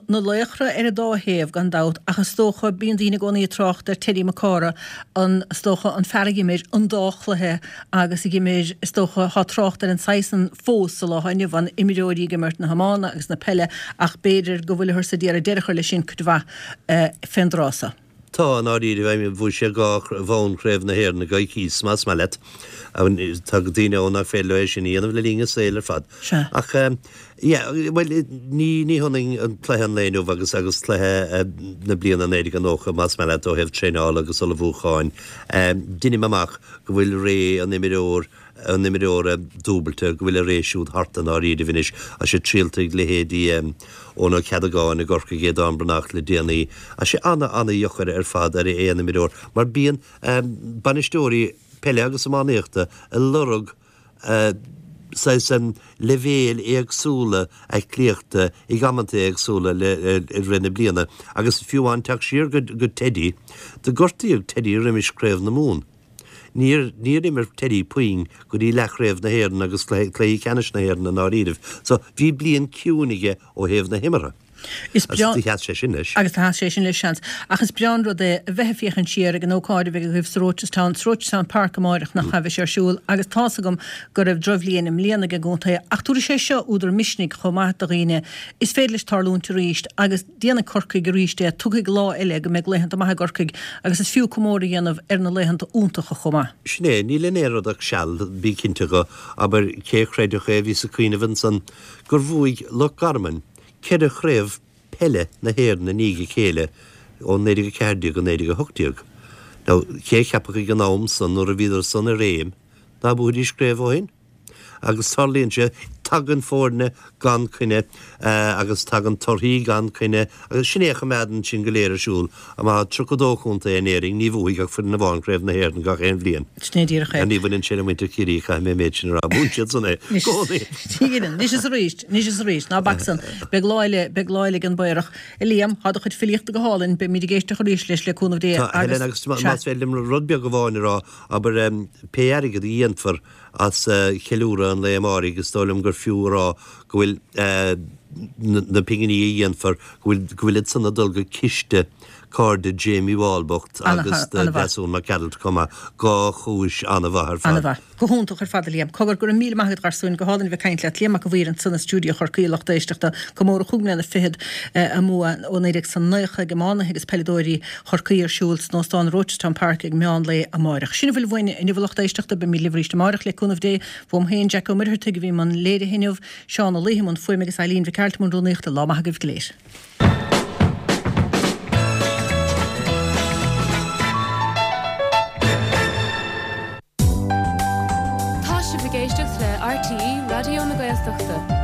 S1: Na laochra ar an dá thaobh, gan dabht, ach is dócha, bíonn daoine i gcónaí ag trácht ar Teddy Mac Cárthaigh, an, is dócha, an fear a dh'imir an dá chluiche agus a dh'imir, is dócha, tá trácht ar an saghas san fós sa lá atá inniu ann, imreoirí ag imirt na hiomána agus na peile ach b'fhéidir go bhfuilthear ag iarraidh deireadh a chur leis sin cuid mhaith fén dtráth so.
S5: Tá, i ndáiríre, I mean, bhuaigh sé dhá bhonn Chraobh na hÉireann i gcoicíos, más maith leat. Tá daoine ann nach féidir leo é sin a dhéanamh le linn a saoil ar fad.
S1: Sea.
S5: Ach, yeah, bhuel, ní, ní hionann an cluiche an lae inniu agus, agus cluiche na bliana naoi déag nócha, más maith leat, ó thaobh traenála agus ullmhúcháin. Deinim amach go bhfuil ré an imreoir, an imreora dúbailte, go bhfuil a ré siúd thart i ndáiríribh anois. Tá sé triallta ag leithéidí Eoin Ó Ceadagáin i gCorcaigh, Aodán Breathnach le déanaí. Tá sé ana-ana-dheacair ar fad ar aon imreoir mar bíonn bainisteoirí peile agus iománaíochta ag lorg saghas leibhéil éagsúla aclaíochta ag amanta éagsúla le i rith na bliana agus fiú amháin teacht siar go Teddy, do gortaíodh Teddy roimis Craobh na Mumhan. Níor, níor imir Teddy puinn go dtí leathchraobh na hÉireann agus cluichí ceannais na hÉireann i ndáiríribh. So, bhí bliain ciúin aige ó thaobh na himeartha.
S1: Is
S5: Agus
S1: breá.
S5: do sheas sé sin leis.
S1: Agus do sheas sé sin leis, seans. Ach is breá an rud é a bheith ag féachaint siar ag an ócáid a bheidh agaibh sa Rochestown, sa Rochestown Park amáireach nach ea, beidh sé ar siúl agus tá's agam go raibh drochbhliain i mbliana ag an gcontae ach tabharfaidh sé seo údar misnigh chomh maith do dhaoine. Is féidir leis tarlúint arís agus. Déanfaidh Corcaigh arís é, tiocfaidh lá eile go mbeidh laethanta maithe i gCorcaigh agus is fiú comóradh a dhéanamh ar na laethanta iontacha chomh maith.
S5: Sin é, níl in aon rud ach seal, bí cinnte dho, abair, cé a chreidfeadh é, bhíos ag cuimhneamh ansan gur bhuaigh Loch Garman ceithre chraobh peile na hÉireann i ndiaidh a chéile ó naoi déag a ceathair déag go naoi déag a hocht déag. Now, cé a cheapfadh ag an am san, nuair a bhíodar san i réim, ná buafaidís craobh ó shin? Agus tarlaíonn sé, tagann foirne gan coinne agus tagann torthaí gan coinne agus sin é a choimeádann sinn go léir ar siúl. Má tá tríocha dó chontae in Éirinn, ní bhuafaidh ach foireann amháin Craobh na hÉireann gach aon bhliain.
S1: Sin é díreach é.
S5: Ní bhaineann sé le muintir Chiarraí, caithfidh mé an méid sin a rá. Buann siad san é i gcónaí.
S1: Anois is arís, anois is arís, ná bac san. Beidh lá eile, beidh lá eile ag an bPaorach. A Liam, tá do chuid filíochta go hálainn, beimid ag éisteacht arís leis le cúnamh Dé
S5: Tá,
S1: agus
S5: Helen, agus
S1: sea.
S5: más féidir liom rud beag amháin a rá, abair, pé airgead a dhéanfar As ceiliúradh an lae amáirigh, is dóigh liom gur fiú a rá go bhfuil na pinginí a dhéanfar, go bhfuil, go bhfuil iad san ag dul go ciste cairde Jamie Wall bocht agus do Deasún Mac Gearailt chomh maith. Dhá chúis an-mhaith ar fad.
S1: An-mhaith. Go hiontach ar fad a Liam. Cogar, go raibh míle maith agat a gharsúin, go hálainn a bheith ag caint leat. Liam Mac a' Mhaoir ansan i stiúideo Chorcaí, a lucht éisteachta. Comóradh chúig mbliana fichead a mbua ó naoi déag 's a naocha ag iománaithe agus peileadóirí Chorcaí ar siúl san Óstán Rochestown Park ag meán lae amáireach. Sin a bhfuil uainn inniu a lucht éisteachta, beimid libh arís amáireach le cúnamh Dé. Uaim féin, Jackie Ó Muircheartaigh a bhí i mbun léirithe inniu, Seán Ó Laoithe i mbun fuaime agus Eileen Mhic Airt i mbun rúnaíochta. Lá maith agaibh go léir.
S6: Tá sibh ag éisteacht le RTÉ Raidió na Gaeltachta.